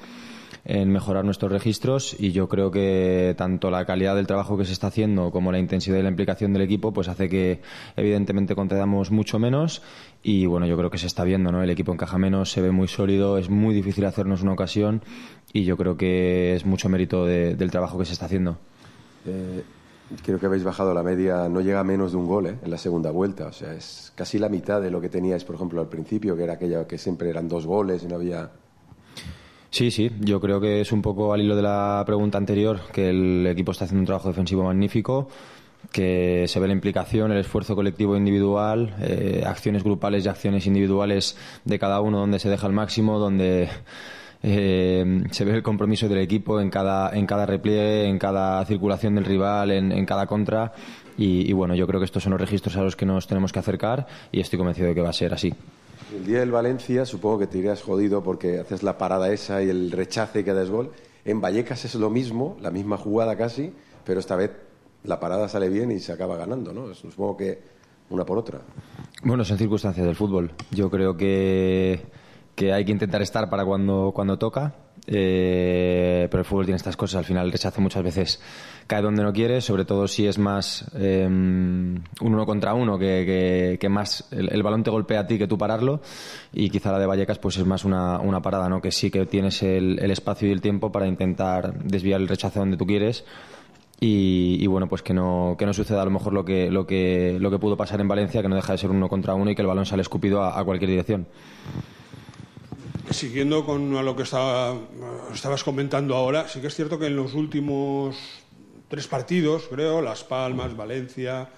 en mejorar nuestros registros, y yo creo que tanto la calidad del trabajo que se está haciendo como la intensidad y la implicación del equipo pues hace que evidentemente concedamos mucho menos, y bueno, yo creo que se está viendo, ¿no? El equipo encaja menos, se ve muy sólido, es muy difícil hacernos una ocasión, y yo creo que es mucho mérito de, del trabajo que se está haciendo. Eh... Creo que habéis bajado la media, no llega a menos de un gol ¿eh? en la segunda vuelta. O sea, es casi la mitad de lo que teníais, por ejemplo, al principio, que era aquella que siempre eran dos goles y no había... Sí, sí, yo creo que es un poco al hilo de la pregunta anterior, que el equipo está haciendo un trabajo defensivo magnífico, que se ve la implicación, el esfuerzo colectivo e individual, eh, acciones grupales y acciones individuales de cada uno donde se deja el máximo, donde... Eh, se ve el compromiso del equipo en cada, en cada repliegue, en cada circulación del rival, en, en cada contra, y, y bueno, yo creo que estos son los registros a los que nos tenemos que acercar y estoy convencido de que va a ser así. El día del Valencia supongo que te irías jodido porque haces la parada esa y el rechace y quedas gol. En Vallecas es lo mismo, la misma jugada casi, pero esta vez la parada sale bien y se acaba ganando, ¿no? Supongo que una por otra. Bueno, son circunstancias del fútbol. Yo creo que, que hay que intentar estar para cuando, cuando toca. Eh, pero el fútbol tiene estas cosas, al final el rechazo muchas veces cae donde no quiere, sobre todo si es más eh, un uno contra uno, que, que, que más el, el balón te golpea a ti que tú pararlo, y quizá la de Vallecas pues es más una, una parada, ¿no? Que sí que tienes el, el espacio y el tiempo para intentar desviar el rechazo donde tú quieres. Y, y bueno, pues que no, que no suceda a lo mejor lo que, lo que, lo que pudo pasar en Valencia, que no deja de ser uno contra uno y que el balón sale escupido a, a cualquier dirección. Siguiendo con lo que estaba, estabas comentando ahora, sí que es cierto que en los últimos tres partidos, creo, Las Palmas, Valencia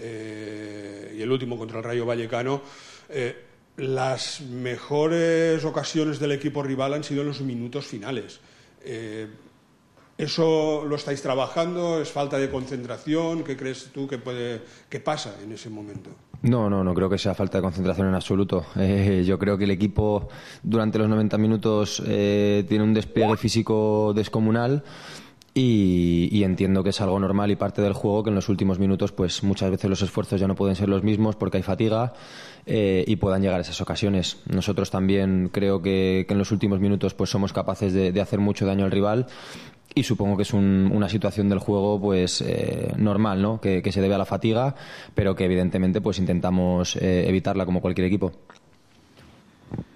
eh, y el último contra el Rayo Vallecano, eh, las mejores ocasiones del equipo rival han sido en los minutos finales. Eh, ¿Eso lo estáis trabajando? ¿Es falta de concentración? ¿Qué crees tú que puede, que pasa en ese momento? No, no, no creo que sea falta de concentración en absoluto. Eh, yo creo que el equipo durante los noventa minutos eh, tiene un despliegue físico descomunal y, y entiendo que es algo normal y parte del juego, que en los últimos minutos pues muchas veces los esfuerzos ya no pueden ser los mismos porque hay fatiga eh, y puedan llegar esas ocasiones. Nosotros también creo que, que en los últimos minutos pues somos capaces de, de hacer mucho daño al rival. Y supongo que es un, una situación del juego pues eh, normal, ¿no? Que, que se debe a la fatiga, pero que evidentemente pues intentamos eh, evitarla como cualquier equipo.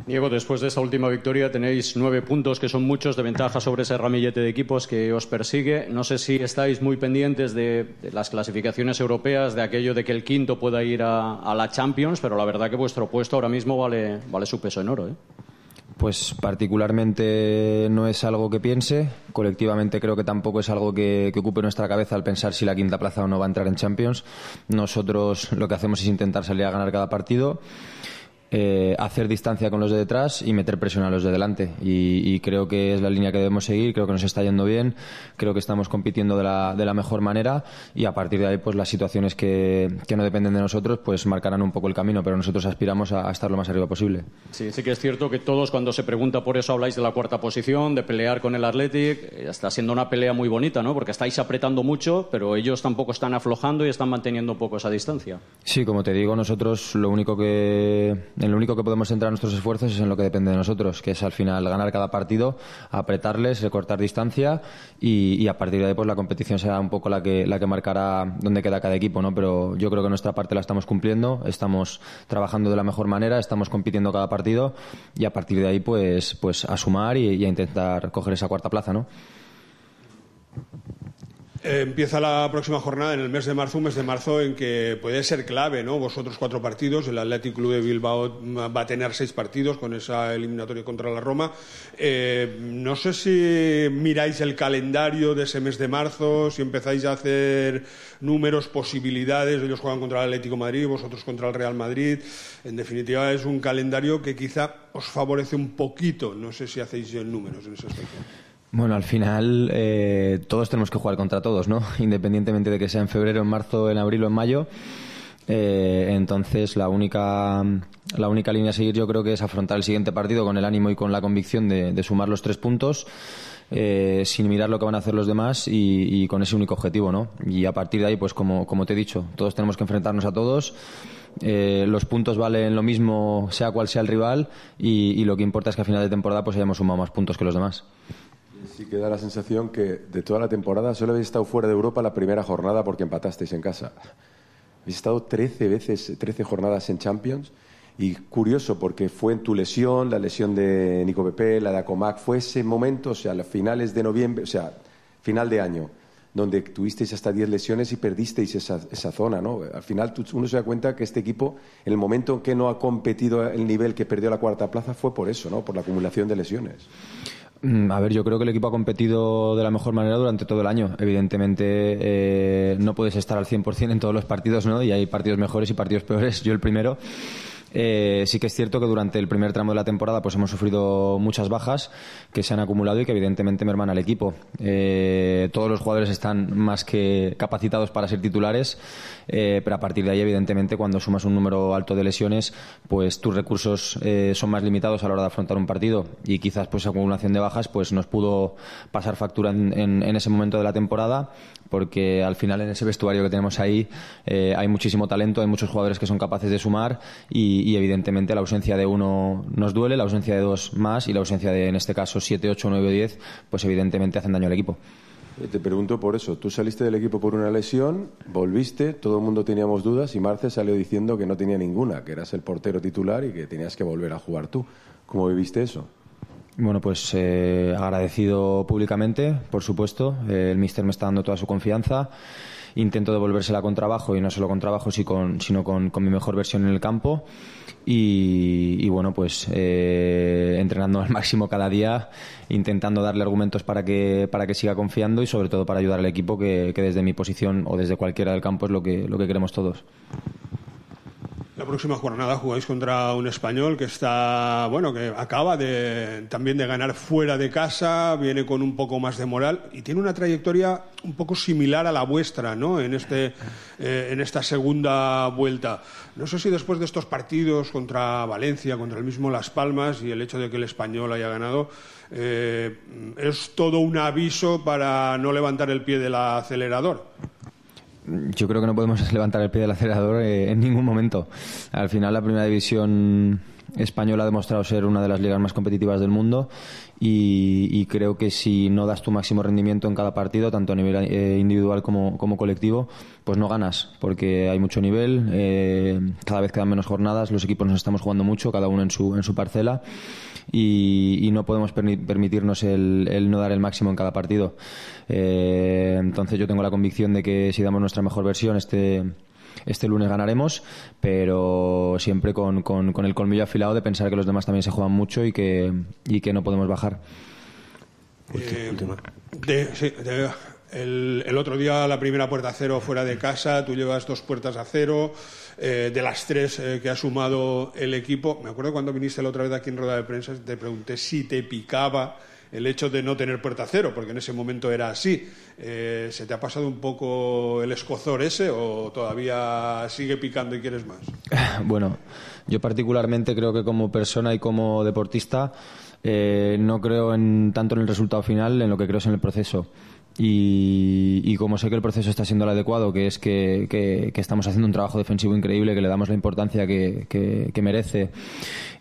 Diego, después de esta última victoria tenéis nueve puntos, que son muchos de ventaja sobre ese ramillete de equipos que os persigue. No sé si estáis muy pendientes de, de las clasificaciones europeas, de aquello de que el quinto pueda ir a, a la Champions, pero la verdad que vuestro puesto ahora mismo vale, vale su peso en oro, ¿eh? Pues particularmente no es algo que piense, colectivamente creo que tampoco es algo que, que ocupe nuestra cabeza al pensar si la quinta plaza o no va a entrar en Champions. Nosotros lo que hacemos es intentar salir a ganar cada partido, eh, hacer distancia con los de detrás y meter presión a los de delante, y, y creo que es la línea que debemos seguir. Creo que nos está yendo bien, creo que estamos compitiendo de la, de la mejor manera, y a partir de ahí pues las situaciones que, que no dependen de nosotros pues marcarán un poco el camino, pero nosotros aspiramos a, a estar lo más arriba posible. Sí, sí que es cierto que todos, cuando se pregunta por eso, habláis de la cuarta posición, de pelear con el Athletic. Está siendo una pelea muy bonita, ¿no? Porque estáis apretando mucho, pero ellos tampoco están aflojando y están manteniendo un poco esa distancia. Sí, como te digo, nosotros lo único que en lo único que podemos centrar nuestros esfuerzos es en lo que depende de nosotros, que es al final ganar cada partido, apretarles, recortar distancia, y, y a partir de ahí pues la competición será un poco la que la que marcará dónde queda cada equipo, ¿no? Pero yo creo que nuestra parte la estamos cumpliendo, estamos trabajando de la mejor manera, estamos compitiendo cada partido, y a partir de ahí pues pues a sumar y, y a intentar coger esa cuarta plaza, ¿no? Eh, empieza la próxima jornada en el mes de marzo, un mes de marzo en que puede ser clave, ¿no? Vosotros cuatro partidos, el Athletic Club de Bilbao va a tener seis partidos con esa eliminatoria contra la Roma. Eh, no sé si miráis el calendario de ese mes de marzo, si empezáis a hacer números, posibilidades. Ellos juegan contra el Atlético de Madrid, vosotros contra el Real Madrid. En definitiva, es un calendario que quizá os favorece un poquito. No sé si hacéis números en ese aspecto. Bueno, al final eh, todos tenemos que jugar contra todos, ¿no? Independientemente de que sea en febrero, en marzo, en abril o en mayo. Eh, entonces la única la única línea a seguir yo creo que es afrontar el siguiente partido con el ánimo y con la convicción de, de sumar los tres puntos, eh, sin mirar lo que van a hacer los demás, y, y con ese único objetivo, ¿no? Y a partir de ahí, pues como, como te he dicho, todos tenemos que enfrentarnos a todos. Eh, los puntos valen lo mismo sea cual sea el rival, y, y lo que importa es que a final de temporada pues hayamos sumado más puntos que los demás. Sí que da la sensación que de toda la temporada solo habéis estado fuera de Europa la primera jornada porque empatasteis en casa. Habéis estado trece veces, trece jornadas en Champions, y curioso porque fue en tu lesión, la lesión de Nico Pepe, la de Acomac, fue ese momento, o sea, a finales de noviembre, o sea, final de año, donde tuvisteis hasta diez lesiones y perdisteis esa, esa zona, ¿no? Al final uno se da cuenta que este equipo, en el momento en que no ha competido el nivel que perdió la cuarta plaza, fue por eso, ¿no? Por la acumulación de lesiones. A ver, yo creo que el equipo ha competido de la mejor manera durante todo el año. Evidentemente eh, no puedes estar al cien por ciento en todos los partidos, ¿no? Y hay partidos mejores y partidos peores, yo el primero. Eh, sí que es cierto que durante el primer tramo de la temporada pues hemos sufrido muchas bajas que se han acumulado y que evidentemente merman al equipo. Eh, todos los jugadores están más que capacitados para ser titulares, eh, pero a partir de ahí evidentemente cuando sumas un número alto de lesiones pues tus recursos eh, son más limitados a la hora de afrontar un partido, y quizás pues esa acumulación de bajas pues nos pudo pasar factura en, en, en ese momento de la temporada, porque al final en ese vestuario que tenemos ahí eh, hay muchísimo talento, hay muchos jugadores que son capaces de sumar y, y evidentemente la ausencia de uno nos duele, la ausencia de dos más y la ausencia de, en este caso, siete, ocho, nueve o diez, pues evidentemente hacen daño al equipo. Te pregunto por eso, tú saliste del equipo por una lesión, volviste, todo el mundo teníamos dudas y Marce salió diciendo que no tenía ninguna, que eras el portero titular y que tenías que volver a jugar tú. ¿Cómo viviste eso? Bueno, pues eh, agradecido públicamente, por supuesto. Eh, el míster me está dando toda su confianza. Intento devolvérsela con trabajo, y no solo con trabajo, sino con, sino con, con mi mejor versión en el campo. Y, y bueno, pues eh, entrenando al máximo cada día, intentando darle argumentos para que, para que siga confiando y sobre todo para ayudar al equipo, que, que desde mi posición o desde cualquiera del campo es lo que, lo que queremos todos. La próxima jornada jugáis contra un Español que está, bueno, que acaba de, también de ganar fuera de casa, viene con un poco más de moral y tiene una trayectoria un poco similar a la vuestra, ¿no? En este, eh, en esta segunda vuelta. No sé si después de estos partidos contra Valencia, contra el mismo Las Palmas y el hecho de que el Español haya ganado, eh, es todo un aviso para no levantar el pie del acelerador. Yo creo que no podemos levantar el pie del acelerador eh, en ningún momento. Al final la primera división española ha demostrado ser una de las ligas más competitivas del mundo y, y creo que si no das tu máximo rendimiento en cada partido, tanto a nivel eh, individual como, como colectivo, pues no ganas, porque hay mucho nivel, eh, cada vez quedan menos jornadas, los equipos nos estamos jugando mucho, cada uno en su, en su parcela. Y, y no podemos permitirnos el, el no dar el máximo en cada partido. Eh, entonces yo tengo la convicción de que si damos nuestra mejor versión este, este lunes ganaremos, pero siempre con, con, con el colmillo afilado de pensar que los demás también se juegan mucho y que, y que no podemos bajar. Eh, de, sí, de, el, el otro día la primera puerta a cero fuera de casa, tú llevas dos puertas a cero. Eh, de las tres eh, que ha sumado el equipo, me acuerdo cuando viniste la otra vez aquí en rueda de prensa, te pregunté si te picaba el hecho de no tener puerta cero, porque en ese momento era así. Eh, ¿Se te ha pasado un poco el escozor ese o todavía sigue picando y quieres más? Bueno, yo particularmente creo que como persona y como deportista eh, no creo en, tanto en el resultado final, en lo que creo es en el proceso. Y, y como sé que el proceso está siendo el adecuado, que es que, que, que estamos haciendo un trabajo defensivo increíble, que le damos la importancia que, que, que merece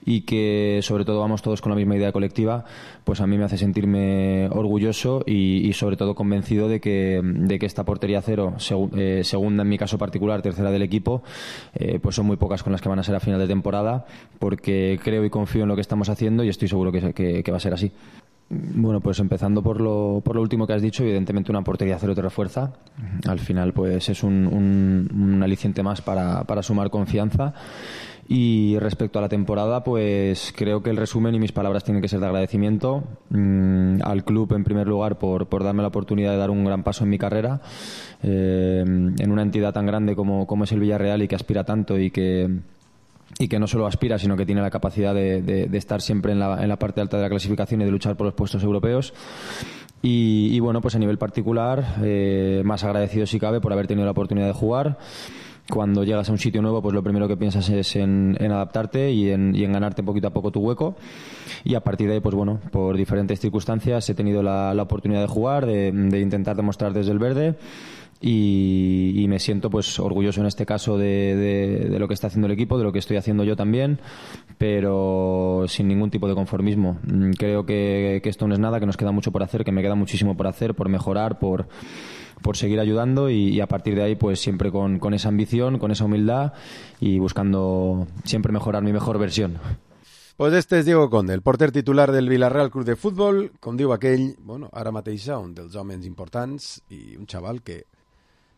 y que sobre todo vamos todos con la misma idea colectiva, pues a mí me hace sentirme orgulloso y, y sobre todo convencido de que, de que esta portería cero, seg, eh, segunda en mi caso particular, tercera del equipo, eh, pues son muy pocas con las que van a ser a final de temporada, porque creo y confío en lo que estamos haciendo y estoy seguro que, que, que va a ser así. Bueno, pues empezando por lo, por lo último que has dicho, evidentemente una portería cero te refuerza. Al final pues es un, un, un aliciente más para, para sumar confianza. Y respecto a la temporada, pues creo que el resumen y mis palabras tienen que ser de agradecimiento mmm, al club en primer lugar por, por darme la oportunidad de dar un gran paso en mi carrera eh, en una entidad tan grande como, como es el Villarreal y que aspira tanto y que y que no solo aspira, sino que tiene la capacidad de, de, de estar siempre en la, en la parte alta de la clasificación y de luchar por los puestos europeos. Y, y bueno, pues a nivel particular, eh, más agradecido si cabe por haber tenido la oportunidad de jugar. Cuando llegas a un sitio nuevo, pues lo primero que piensas es en, en adaptarte y en, y en ganarte poquito a poco tu hueco. Y a partir de ahí, pues bueno, por diferentes circunstancias he tenido la, la oportunidad de jugar, de, de intentar demostrar desde el verde. Y, y me siento pues orgulloso en este caso de, de, de lo que está haciendo el equipo, de lo que estoy haciendo yo también, pero sin ningún tipo de conformismo. Creo que, que esto no es nada, que nos queda mucho por hacer, que me queda muchísimo por hacer, por mejorar, por, por seguir ayudando y, y a partir de ahí pues siempre con, con esa ambición, con esa humildad y buscando siempre mejorar mi mejor versión. Pues este és Diego Conde, el porter titular del Villarreal Club de Futbol, com diu aquell, bueno, ara mateix un dels homes importants i un xaval que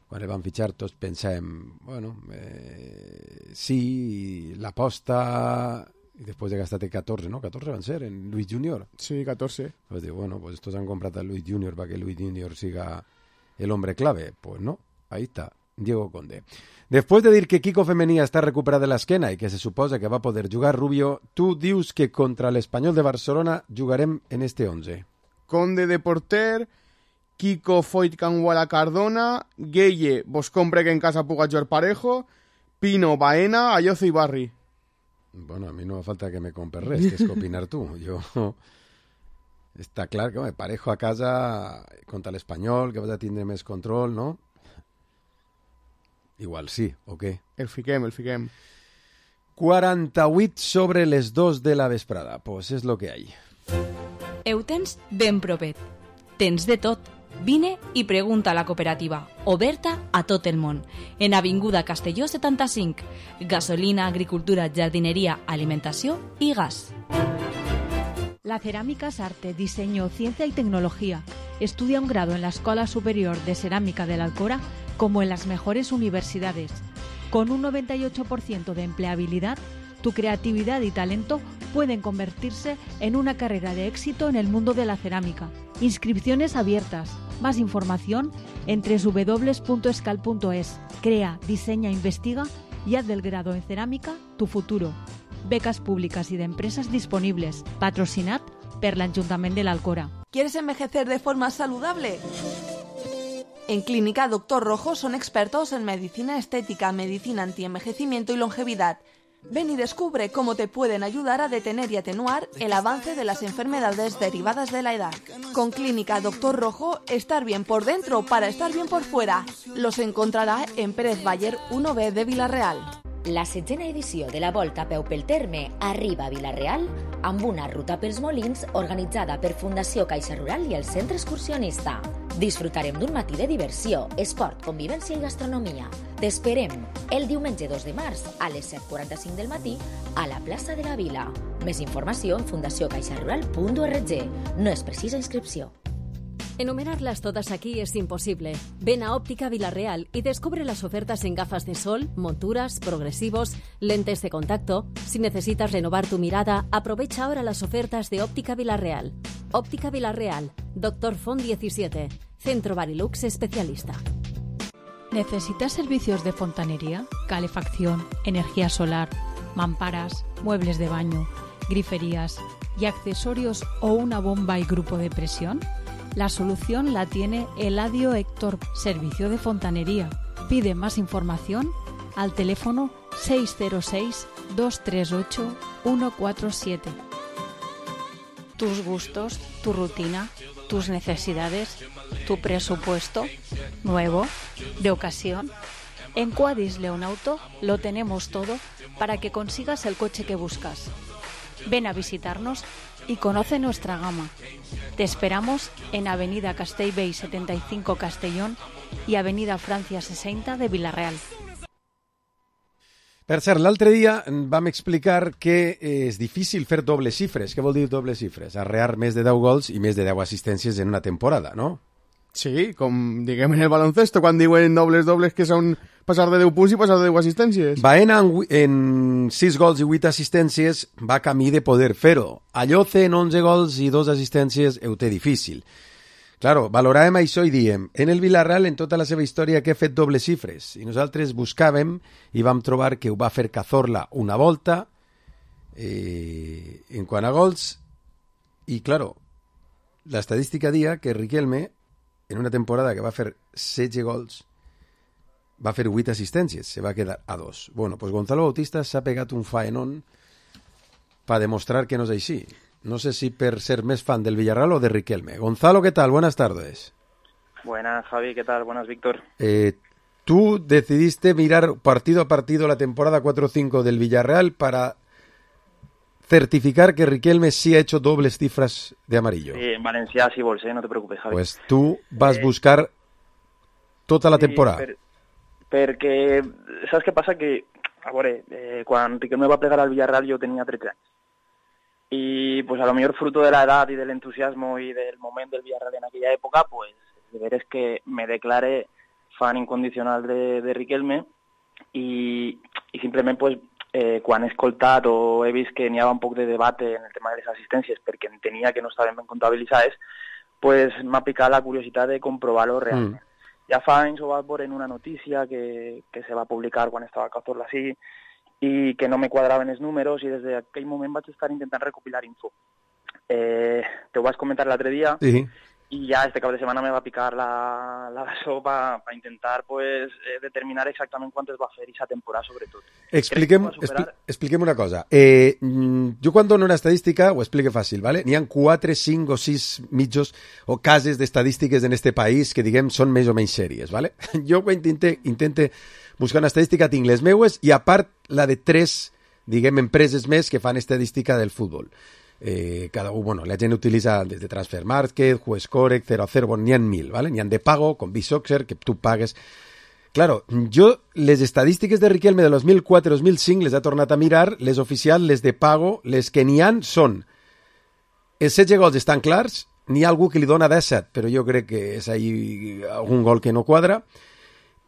quan el van fitxar tots pensem, bueno, eh, sí, l'aposta, y después de gastar catorze, ¿no? catorze van a ser en Luis Junior. Sí, catorze. Pues digo, bueno, pues estos han comprado a Luis Junior para que Luis Junior siga el hombre clave. Pues no, ahí está. Diego Conde. Després de dir que Kiko Femení està recuperat de l'esquena i que se suposa que va poder jugar Rubio, tu dius que contra l'Espanyol de Barcelona jugarem en este once. Conde de porter, Kiko Foyt Canguala Cardona, Gueye vos compre que en casa puga jugar Parejo, Pino, Baena, Ayozo i Barri. Bueno, a mi no fa falta que me compres res, que és que opinar tu. Jo... Està clar que home, Parejo a casa contra l'Espanyol, que vas a tindre més control, no? Igual sí, o què? El fiquem, el fiquem. quaranta-vuit sobre les dos de la vesprada. Pues és lo que hay. Ho tens ben propet. Tens de tot. Vine i pregunta a la cooperativa, oberta a tot el món, en Avinguda Castelló setanta-cinc. Gasolina, agricultura, jardineria, alimentació i gas. La cerámica es arte, diseño, ciencia y tecnología. Estudia un grado en la Escuela Superior de Cerámica de la Alcora como en las mejores universidades. Con un noventa y ocho por ciento de empleabilidad, tu creatividad y talento pueden convertirse en una carrera de éxito en el mundo de la cerámica. Inscripciones abiertas. Más información en doble u doble u doble u punto escal punto es. Crea, diseña, investiga y haz del grado en cerámica tu futuro. Becas públicas y de empresas disponibles. Patrocinat per l'Ajuntament de l'Alcora. ¿Quieres envejecer de forma saludable? En Clínica Doctor Rojo son expertos en medicina estética, medicina antienvejecimiento y longevidad. Ven y descubre cómo te pueden ayudar a detener y atenuar el avance de las enfermedades derivadas de la edad. Con Clínica Doctor Rojo, estar bien por dentro para estar bien por fuera. Los encontrarà en Pérez Bayer uno B de Vila-real. La setzena edició de la Volta a peu pel terme arriba a Vila-real amb una ruta pels molins organitzada per Fundació Caixa Rural i el Centre Excursionista. Disfrutarem d'un matí de diversió, esport, convivència i gastronomia. T'esperem el diumenge dos de març a les set quaranta-cinc del matí a la plaça de la Vila. Més informació en fundació caixa rural punt org. No es precisa inscripció. Enumerarlas todas aquí es imposible. Ven a Óptica Vila-real y descubre las ofertas en gafas de sol, monturas, progresivos, lentes de contacto. Si necesitas renovar tu mirada, aprovecha ahora las ofertas de Óptica Vila-real. Óptica Vila-real, Doctor Font diecisiete, Centro Barilux especialista. ¿Necesitas servicios de fontanería, calefacción, energía solar, mamparas, muebles de baño, griferías y accesorios o una bomba y grupo de presión? La solución la tiene Eladio Héctor, Servicio de Fontanería. Pide más información al teléfono seis cero seis, dos tres ocho, uno cuatro siete. Tus gustos, tu rutina, tus necesidades, tu presupuesto, nuevo, de ocasión. En Quadis Leonauto lo tenemos todo para que consigas el coche que buscas. Ven a visitarnos y conoce nuestra gama. Te esperamos en Avenida Castellbell setenta y cinco Castellón y Avenida Francia sesenta de Vila-real. Per cert, l'altre dia vam explicar que és difícil fer dobles xifres. Què vol dir dobles xifres? Arrear més de deu gols i més de deu assistències en una temporada, no? Sí, com diguem en el baloncesto, quan diuen dobles dobles que són passar de deu punts i passar de deu assistències. Baena en, en sis gols i vuit assistències va camí de poder fer-ho. Ayoce en onze gols i dos assistències ho té difícil. Claro, valoràvem això i diem, en el Vila-real en tota la seva història que ha fet dobles xifres. I nosaltres buscàvem i vam trobar que ho va fer Cazorla una volta eh, en quant a gols. I, claro, l'estadística dia que Riquelme en una temporada que va fer setze gols, va fer vuit assistències, se va quedar a dos. Bueno, pues Gonzalo Bautista s'ha pegat un faenón para demostrar que no és així. No sé si per ser més fan del Villarreal o de Riquelme. Gonzalo, ¿qué tal? Buenas tardes. Buenas, Javi, ¿qué tal? Buenas, Víctor. Eh, tú decidiste mirar partido a partido la temporada cuatro cinco del Villarreal para certificar que Riquelme sí ha hecho dobles cifras de amarillo. Sí, en Valencia sí bolsé, no te preocupes, Javi. Pues tú vas a eh, buscar tota la sí, temporada. Per, perquè, saps què passa? Que, a veure, eh, quan Riquelme va plegar al Villarreal jo tenia tretze anys. Y pues a lo mejor fruto de la edad y del entusiasmo y del momento del Villarreal en aquella época, pues de ver es que me declaré fan incondicional de, de Riquelme y, y simplement pues eh, quan he escoltat o he vist que n'hi havia un poc de debate en el tema de les assistències perquè entenia que no estaven ben comptabilitzades, pues m'ha picat la curiositat de comprovar-ho realment. Mm. ja fa anys ho vaig veure en una notícia que, que se va publicar quan estava a Cazorla sí, i que no me quadraven els números i des d'aquell moment vaig estar intentant recopilar info. Eh, te ho vaig comentar l'altre dia sí. i ja este cap de setmana me va picar la, la sopa per intentar pues, eh, determinar exactament quantes va fer aquesta temporada, sobretot. Expliquem, expli expliquem una cosa. Eh, jo quan dono una estadística ho explico fàcil, ¿vale? N'hi ha quatre, cinc o sis mitjos o cases d'estadístiques en este país que, diguem, són més o menys sèries, ¿vale? Jo intente, intente buscar una estadística, tinc les meues i a part la de tres, diguem, empreses més que fan estadística del futbol. Eh, cada uno, bueno, la gent utilitza desde Transfer Market, WestCorrect, cero a cero, bueno, n'hi ha mil, ¿vale? N'hi ha de pago, con B-Soxer, que tu pagues. Claro, jo les estadístiques de Riquelme de dos mil quatre dos mil cinc les he tornat a mirar, les oficials, les de pago, les que n'hi ha són els setze gols estan clars, n'hi ha algú que li dona disset, però jo crec que és ahí algun gol que no quadra.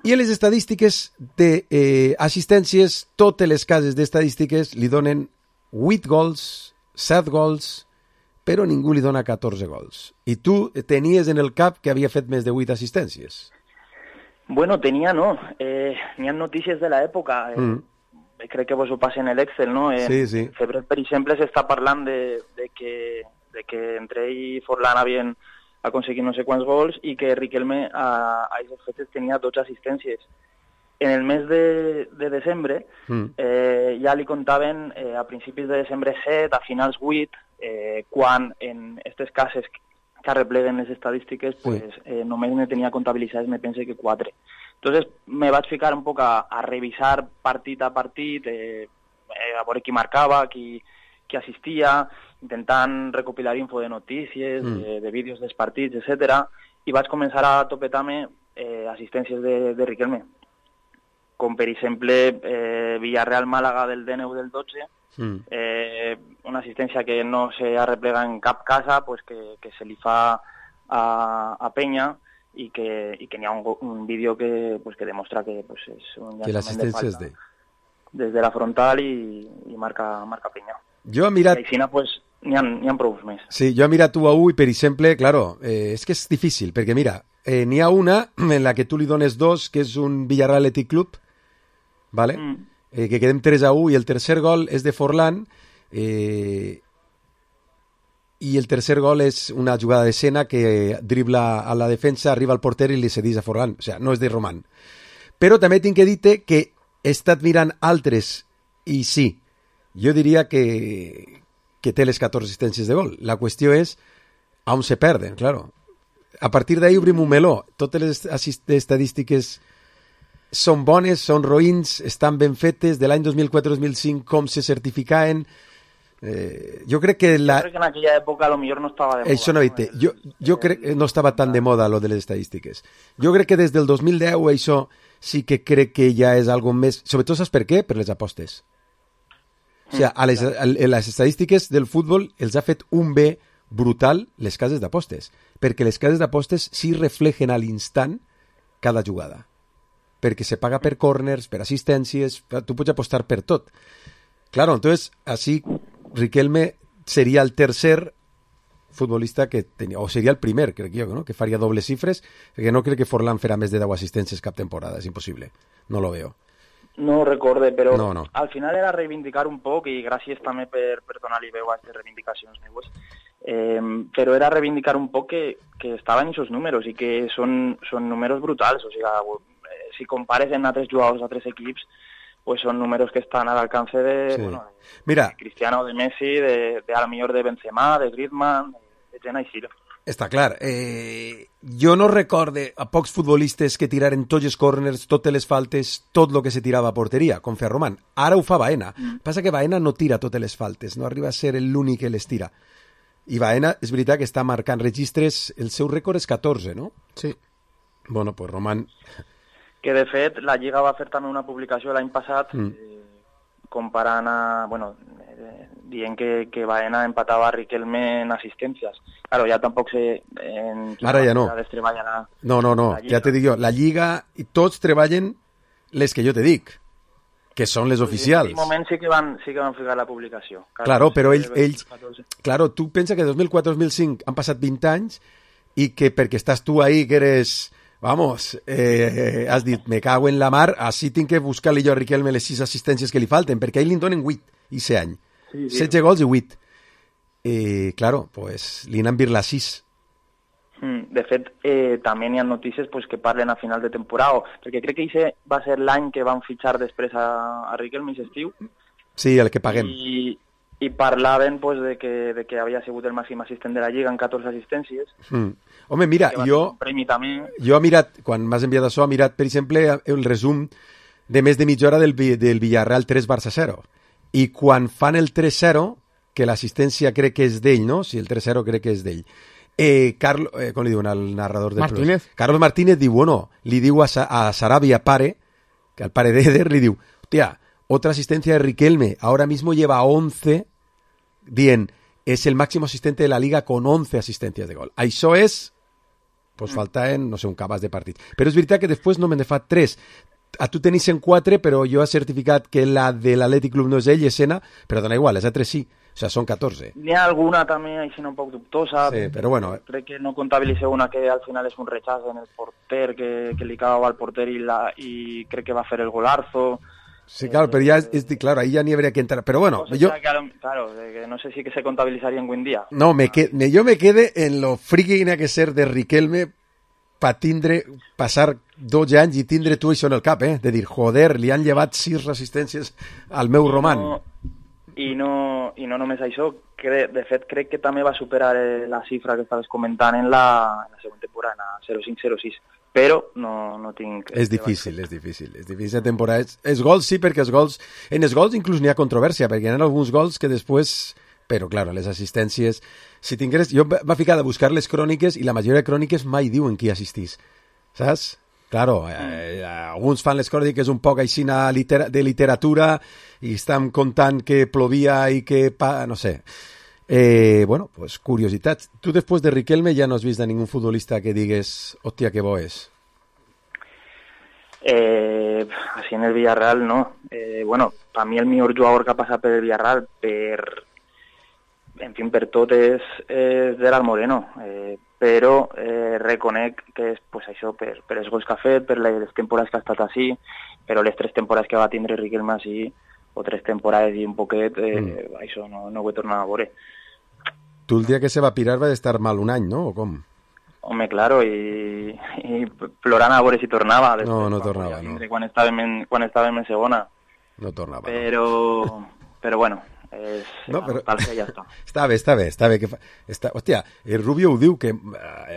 I les estadístiques d'assistències, eh, totes les cases d'estadístiques li donen vuit gols, set gols, però ningú li dona catorze gols. I tu tenies en el cap que havia fet més de vuit assistències. Bueno, tenia no. Eh, N'hi ha notícies de l'època. Eh, mm. Crec que vos ho passen en l'Excel, no? Eh, sí, sí. Febrer, per exemple, s'està parlant de, de, que, de que entre ell i Forlán havien aconseguit no sé quants gols i que Riquelme a, a aquestes fetes tenia dotze assistències. En el mes de, de desembre mm. eh, ja li contaven eh, a principis de desembre set, a finals vuit, eh, quan en aquestes cases que arrepleguen les estadístiques pues, sí. eh, només ne tenia comptabilitzades, me pense que quatre. Entonces me vaig ficar un poc a, a revisar partit a partit, eh, a veure qui marcava, qui, qui assistia, intentant recopilar info de notícies, mm. de, de vídeos dels partits, etcètera. I vaig començar a topetar-me eh, assistències de, de Riquelme, com per exemple eh, Villarreal-Màlaga del D nou del dotze, mm. eh, una assistència que no se arreplega en cap casa, pues que, que se li fa a, a Penya i que, i que n'hi ha un, un vídeo que, pues, que demostra que pues, és un llançament de falta de... des de la frontal i, i marca, marca Penya. Jo he mirat... I així pues, n'hi ha, n'hi ha prou més. Sí, jo he mirat u a u i, per exemple, claro, eh, és que és difícil, perquè mira, eh, n'hi ha una en la que tu li dones dos, que és un Villarreal Athletic Club, ¿vale? Mm. Eh, que quedem tres a u i el tercer gol és de Forlán eh, i el tercer gol és una jugada d'escena que dribla a la defensa, arriba al porter i li cedís a Forlán, o sea, no és de Román. Però també tinc que dir-te que he estat mirant altres i sí, jo diria que, que té les catorze assistències de gol. La qüestió és on se perden, claro. A partir d'ahí obrim un meló. Totes les estadístiques són bones, són roïns, estan ben fetes, de l'any dos mil quatre dos mil cinc com se certificaven. Eh, jo crec que la... Jo crec que en aquella època a lo millor no estava de moda. Això no, no, jo, jo crec que no estava tan de moda lo de les estadístiques. Jo crec que des del dos mil deu això sí que crec que ja és algo més... Sobretot saps per què? Per les apostes. O sigui, a les, a les estadístiques del futbol els ha fet un bé brutal les cases d'apostes, perquè les cases d'apostes sí reflegen a l'instant cada jugada, perquè se paga per corners, per assistències, tu pots apostar per tot. Claro, entonces, así Riquelme sería el tercer futbolista que tenia, o seria el primer, crec jo, no? Que faria dobles xifres, perquè no crec que Forlán farà més de deu assistències cap temporada, és impossible, no lo veo. No ho recorde, però no, no. Al final era reivindicar un poc, i gràcies també per, per donar-li veu a aquestes reivindicacions meues, eh, però era reivindicar un poc que, que estaven aquests números i que són, són números brutals, o sigui, si compares en altres jugadors, altres equips, pues són números que estan a l'alcance de, sí. bueno, de, Mira, de Cristiano, de Messi, de, de a lo millor de Benzema, de Griezmann, de gent així. Està clar. Eh, jo no recorde a pocs futbolistes que tiraren tots els corners, totes les faltes, tot el que se tirava a porteria, com feia Román. Ara ho fa Baena. Mm. Passa que Baena no tira totes les faltes, no arriba a ser l'únic que les tira. I Baena, és veritat que està marcant registres, el seu rècord és catorze, no? Sí. Bueno, pues Román... Que de fet la Lliga va fer també una publicació l'any passat mm. eh, comparant a, bueno, eh, dient que, que Baena empatava a Riquelme en assistències. Claro, ja tampoc sé en quina Ara ja no. treballen a, no, no, no, ja te dic jo, la Lliga i tots treballen les que jo te dic, que són les pues oficials. En aquell moment sí que van, sí que van ficar la publicació. Claro, claro però ells, ells, claro, tu pensa que dos mil quatre dos mil cinc han passat vint anys i que perquè estàs tu ahí que eres Vamos, eh, has dit, me cago en la mar, així tinc que buscar-li jo a Riquelme les sis assistències que li falten, perquè a ell li en donen vuit, i set any. Sí, sí. setze gols i vuit. Eh, claro, pues li n'han vir les sis. De fet, eh, també n'hi ha notícies pues, que parlen a final de temporada, perquè crec que aquest va ser l'any que van fitxar després a, a Riquelme i estiu. Sí, el que paguem. I, i parlaven pues, de, que, de que havia sigut el màxim assistent de la Lliga amb catorze assistències. Mm. Home, mira, jo, jo he mirat, quan m'has enviat això, he mirat, per exemple, el resum de més de mitja hora del, del Villarreal tres Barça zero. I quan fan el tres zero, que l'assistència crec que és d'ell, no? Si el tres zero crec que és d'ell. Eh, Carlos, eh, com li diuen al narrador de Martínez. Plus? Carlos Martínez diu, bueno, li diu a, Sa a Sarabia pare, que al pare d'Eder, li diu, hostia, otra asistencia de Riquelme, ahora mismo lleva once, dient, es el máximo asistente de la Liga con once asistencias de gol. Això és, pues faltaven, no sé, un cabàs de partits. Però és veritat que després no me'n he fet tres. A tu tenis en quatre, però jo he certificat que la de l'Atlètic Club no és ell, és Sena, però dona igual, les altres sí. O sea, són catorze. N'hi ha alguna també així un poc dubtosa. Sí, però bueno. Crec que no comptabilitzeu una que al final és un rechaç en el porter, que, que li cagava al porter i, la, i crec que va fer el golazo. Sí, claro, pero ya, es, claro, ahí ya ni habría que entrar. Pero bueno, o sea, yo... Claro, claro, que no sé si que se contabilizaría en buen día. No, me que, me, yo me quede en lo friki que tiene que ser de Riquelme para tindre, passar dos anys i tindre tu això en el cap, eh? De dir, joder, li han llevat sis resistències al meu I roman. No, i, no, I no només això, que de fet crec que també va superar la xifra que estaves comentant en la, en la següent temporada, en la zero cinc zero sis. Però no, no tinc... És difícil, és difícil. És difícil la temporada. Els gols sí, perquè els gols... En els gols inclús n'hi ha controvèrsia, perquè hi ha alguns gols que després... Però, clar, les assistències... Si tingués... Jo va ficar a buscar les cròniques i la majoria de cròniques mai diuen qui assistís. Saps? Claro, eh, alguns fan les cròniques un poc així de literatura i estan contant que plovia i que... Pa... No sé... Eh, bueno, pues curiositat. Tu després de Riquelme ja no has vist a ningú futbolista que digues, hòstia, que bo és. Eh, así en el Villarreal no. Eh, bueno, para mí el millor jugador que ha passat per el Villarreal, per, en fin, per tot és, és Gerard Moreno. Eh, però eh, reconec que és pues, això per, per els gols que ha fet, per les temporades que ha estat així, però les tres temporades que va tindre Riquelme així, o tres temporades i un poquet, eh, mm. això no, no ho he tornat a veure. Tu el dia que se va pirar va estar mal un any, ¿no? ¿O com? Home, claro, i, i plorant a veure si tornava. Després, no, no tornava, no. Quan estàvem en, quan estàvem en segona. No tornava. Però, no. però bueno, és no, però... tal que ja està. Està bé, està bé, està bé. Que fa... està... Hòstia, el Rubio ho diu, que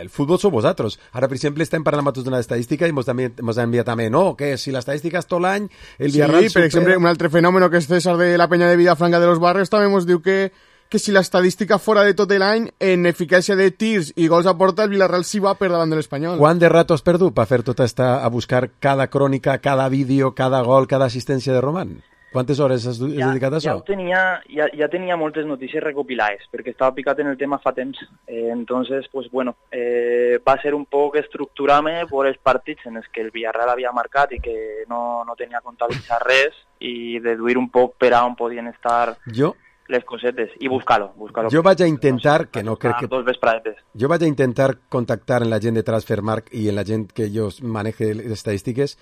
el futbol sou vosaltres. Ara, per exemple, estem parlant amb tots d'una estadística i ens ha enviat també, no, que si l'estadística és tot l'any, el Villarreal... Sí, per supera... exemple, un altre fenòmeno que és César de la Peña de Villafranca de los Barrios també ens diu que que si l'estadística fora de tot l'any, en eficàcia de tirs i gols a porta, el Villarreal sí va per davant de l'Espanyol. Quant de rato has perdut per fer tota esta, a buscar cada crònica, cada vídeo, cada gol, cada assistència de Roman? Quantes hores has ja, dedicat a això? Ja tenia, ja, ja tenia moltes notícies recopilades, perquè estava picat en el tema fa temps. Eh, entonces, pues bueno, eh, va ser un poc estructurar-me per els partits en els que el Villarreal havia marcat i que no, no tenia comptabilitzat res i deduir un poc per a on podien estar... Jo... les cosetes i buscar-lo. Buscar jo vaig a intentar, que no crec que... Dos vespradetes. Jo vaig a intentar contactar en la gent de Transfermarkt i en la gent que jo maneje les estadístiques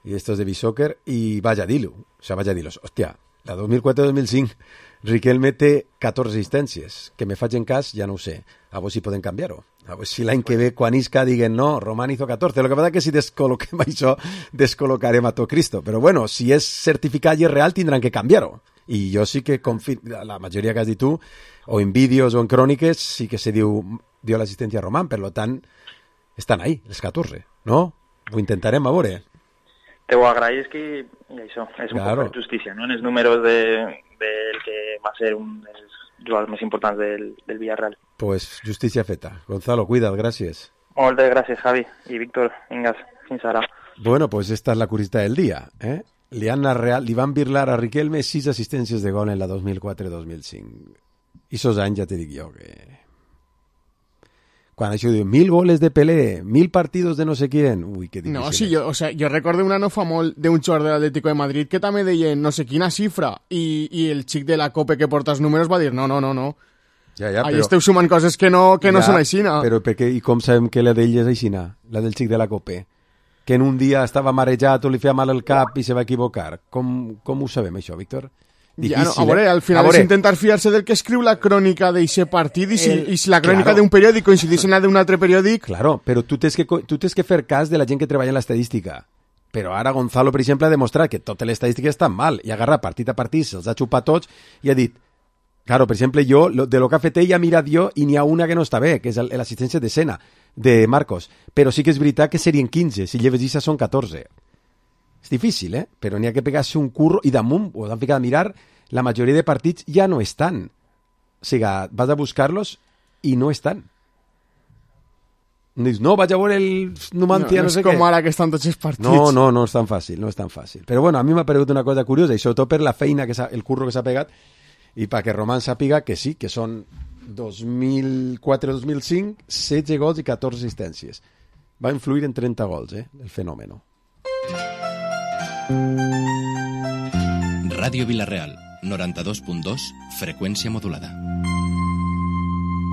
i estos de Bisoccer i vaig a dir-lo. O sea, vaig a dir-lo. Hòstia, la dos mil quatre dos mil cinc Riquelme té catorze assistències. Que me faig en cas, ja no ho sé. A veure si poden canviar-ho. A veure si l'any que ve, quan isca, diguen no, Román hizo catorze. Lo que passa que si descol·loquem això, descol·locarem a tot Cristo. Però bueno, si és certificat i és real, tindran que canviar-ho. I jo sí que confio, la majoria que has dit tu, o en vídeos o en cròniques, sí que se diu, dio l'assistència a Román, per tant, estan ahí, les catorze, no? Ho intentarem a veure. Te ho agraïsc i, i això, és un claro. poc de justícia, no? En els números de, del que va ser un dels jugadors més importants del, del Villarreal. Pues justícia feta. Gonzalo, cuida't, gràcies. Moltes gràcies, Javi. I Víctor, vinga, fins ara. Bueno, pues esta es la curiositat del dia, eh? Li, han real, li van birlar a Riquelme sis assistències de gol en la dos mil quatre dos mil cinc. I esos anys ja te dic jo que... Quan això diu, mil goles de Pelé, mil partidos de no sé quién... Ui, que difícil. No, sí, jo, o sea, jo recordo una no fa molt d'un jugador de l'Atlético de Madrid que també deien no sé quina xifra i, i el xic de la Copa que porta els números va dir no, no, no, no. Ja, ja, Ahí però... esteu sumant coses que no, que no ja, són aixina. Però perquè, i com sabem que la d'ell és aixina? La del xic de la Cope? Que en un dia estava marejat o li feia mal el cap i se va equivocar. Com, com ho sabem, això, Víctor? Difícil, ja, no, a veure, eh? al final és intentar fiar-se del que escriu la crònica d'eixe partit i si, el, i si la crònica claro. d'un periòdic coincideix en la d'un altre periòdic... Claro, però tu tens, que, tu tens que fer cas de la gent que treballa en l'estadística. Però ara Gonzalo, per exemple, ha demostrat que totes les estadístiques estan mal i ha agarrat partit a partit, se'ls ha xupat tots i ha dit, claro, per exemple, jo, de lo que ha fet ell, ha mirat jo i n'hi ha una que no està bé, que és l'assistència d'escena de Marcos. Però sí que és veritat que serien quinze, si lleves això són catorze. És difícil, eh? Però n'hi ha que pegar-se un curro i damunt, ho han ficat a mirar, la majoria de partits ja no estan. O sigui, vas a buscar-los i no estan. Dius, no, vaig a veure el Numancia, no, no, no sé què. què. És com ara que estan tots els partits. No, no, no és tan fàcil, no és tan fàcil. Però bueno, a mi m'ha paregut una cosa curiosa, i sobretot per la feina, que el curro que s'ha pegat, i perquè Román sàpiga que sí, que són dos mil quatre dos mil cinc, setze gols i catorze assistències. Va influir en trenta gols, eh, el fenòmeno. Ràdio Vilareal, noranta-dos punt dos, frecuencia modulada.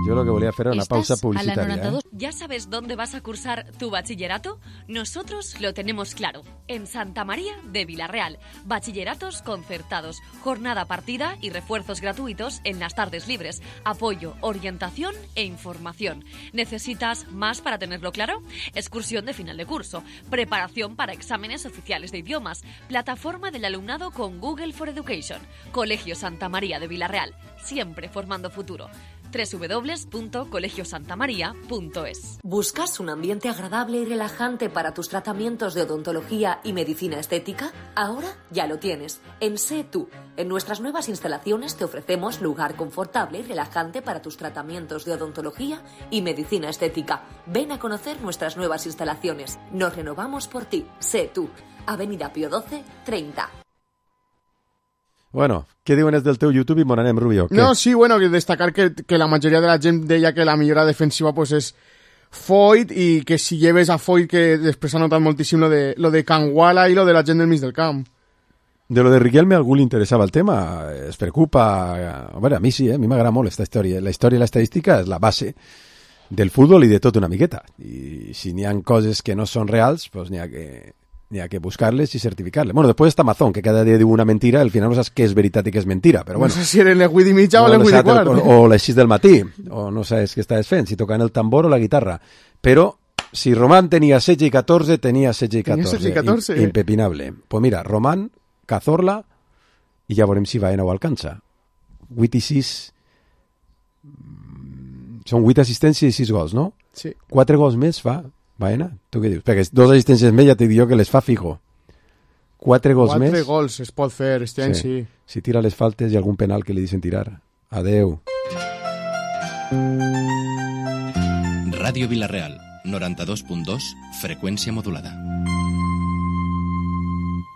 Yo lo que voy a hacer era una pausa ¿Estás publicitaria. a la noventa y dos? ¿eh? ¿Ya sabes dónde vas a cursar tu bachillerato? Nosotros lo tenemos claro. En Santa María de Vilareal. Bachilleratos concertados. Jornada partida y refuerzos gratuitos en las tardes libres. Apoyo, orientación e información. ¿Necesitas más para tenerlo claro? Excursión de final de curso. Preparación para exámenes oficiales de idiomas. Plataforma del alumnado con Google for Education. Colegio Santa María de Vilareal. Siempre formando futuro. doble u doble u doble u punto colegio santa maría punto es. ¿Buscas un ambiente agradable y relajante para tus tratamientos de odontología y medicina estética? Ahora ya lo tienes. En Sé Tú. En nuestras nuevas instalaciones te ofrecemos lugar confortable y relajante para tus tratamientos de odontología y medicina estética. Ven a conocer nuestras nuevas instalaciones. Nos renovamos por ti. Sé Tú. Avenida Pío doce, treinta. Bueno, què diuen els del teu YouTube i mon anem, Rubio? Què? No, sí, bueno, destacar que, que la majoria de la gent deia que la millora defensiva pues, és Foyt i que si lleves a Foyt, que després ha notat moltíssim lo de, lo de Canguala i lo de la gent del mig del camp. De lo de Riquelme a algú li interessava el tema, es preocupa... A veure, a mi sí, eh? A mi m'agrada molt aquesta història. La història i l'estadística és la base del futbol i de tot una miqueta. I si n'hi ha coses que no són reals, pues n'hi ha que... N'hi ha que buscar-les i certificar-les. Bueno, després està Amazon, que cada dia diu una mentira, al final no saps què és veritat i què és mentira, però bueno. No sé si eren les vuit i mitja no, o les vuit i quart. O, o les sis del matí, o no saps què estàs fent, si tocant el tambor o la guitarra. Però si Román tenia setze i catorze, tenia setze i catorze. Tenia setze i catorze. I, impepinable. Pues mira, Román, Cazorla, i ja veurem si Baena ho alcança. vuit i sis... Són vuit assistències i sis gols, no? Sí. quatre gols més fa... Baena, tu què dius? Perquè dos assistències més ja t'he dit jo que les fa fijo. Quatre gols Quatre més. Quatre gols es pot fer, este any sí. sí. Si tira les faltes i algun penal que li deixen tirar. Adeu. Ràdio Vilareal, noranta-dos punt dos, frecuencia modulada.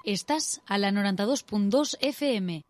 Estás a la noranta-dos punt dos F M.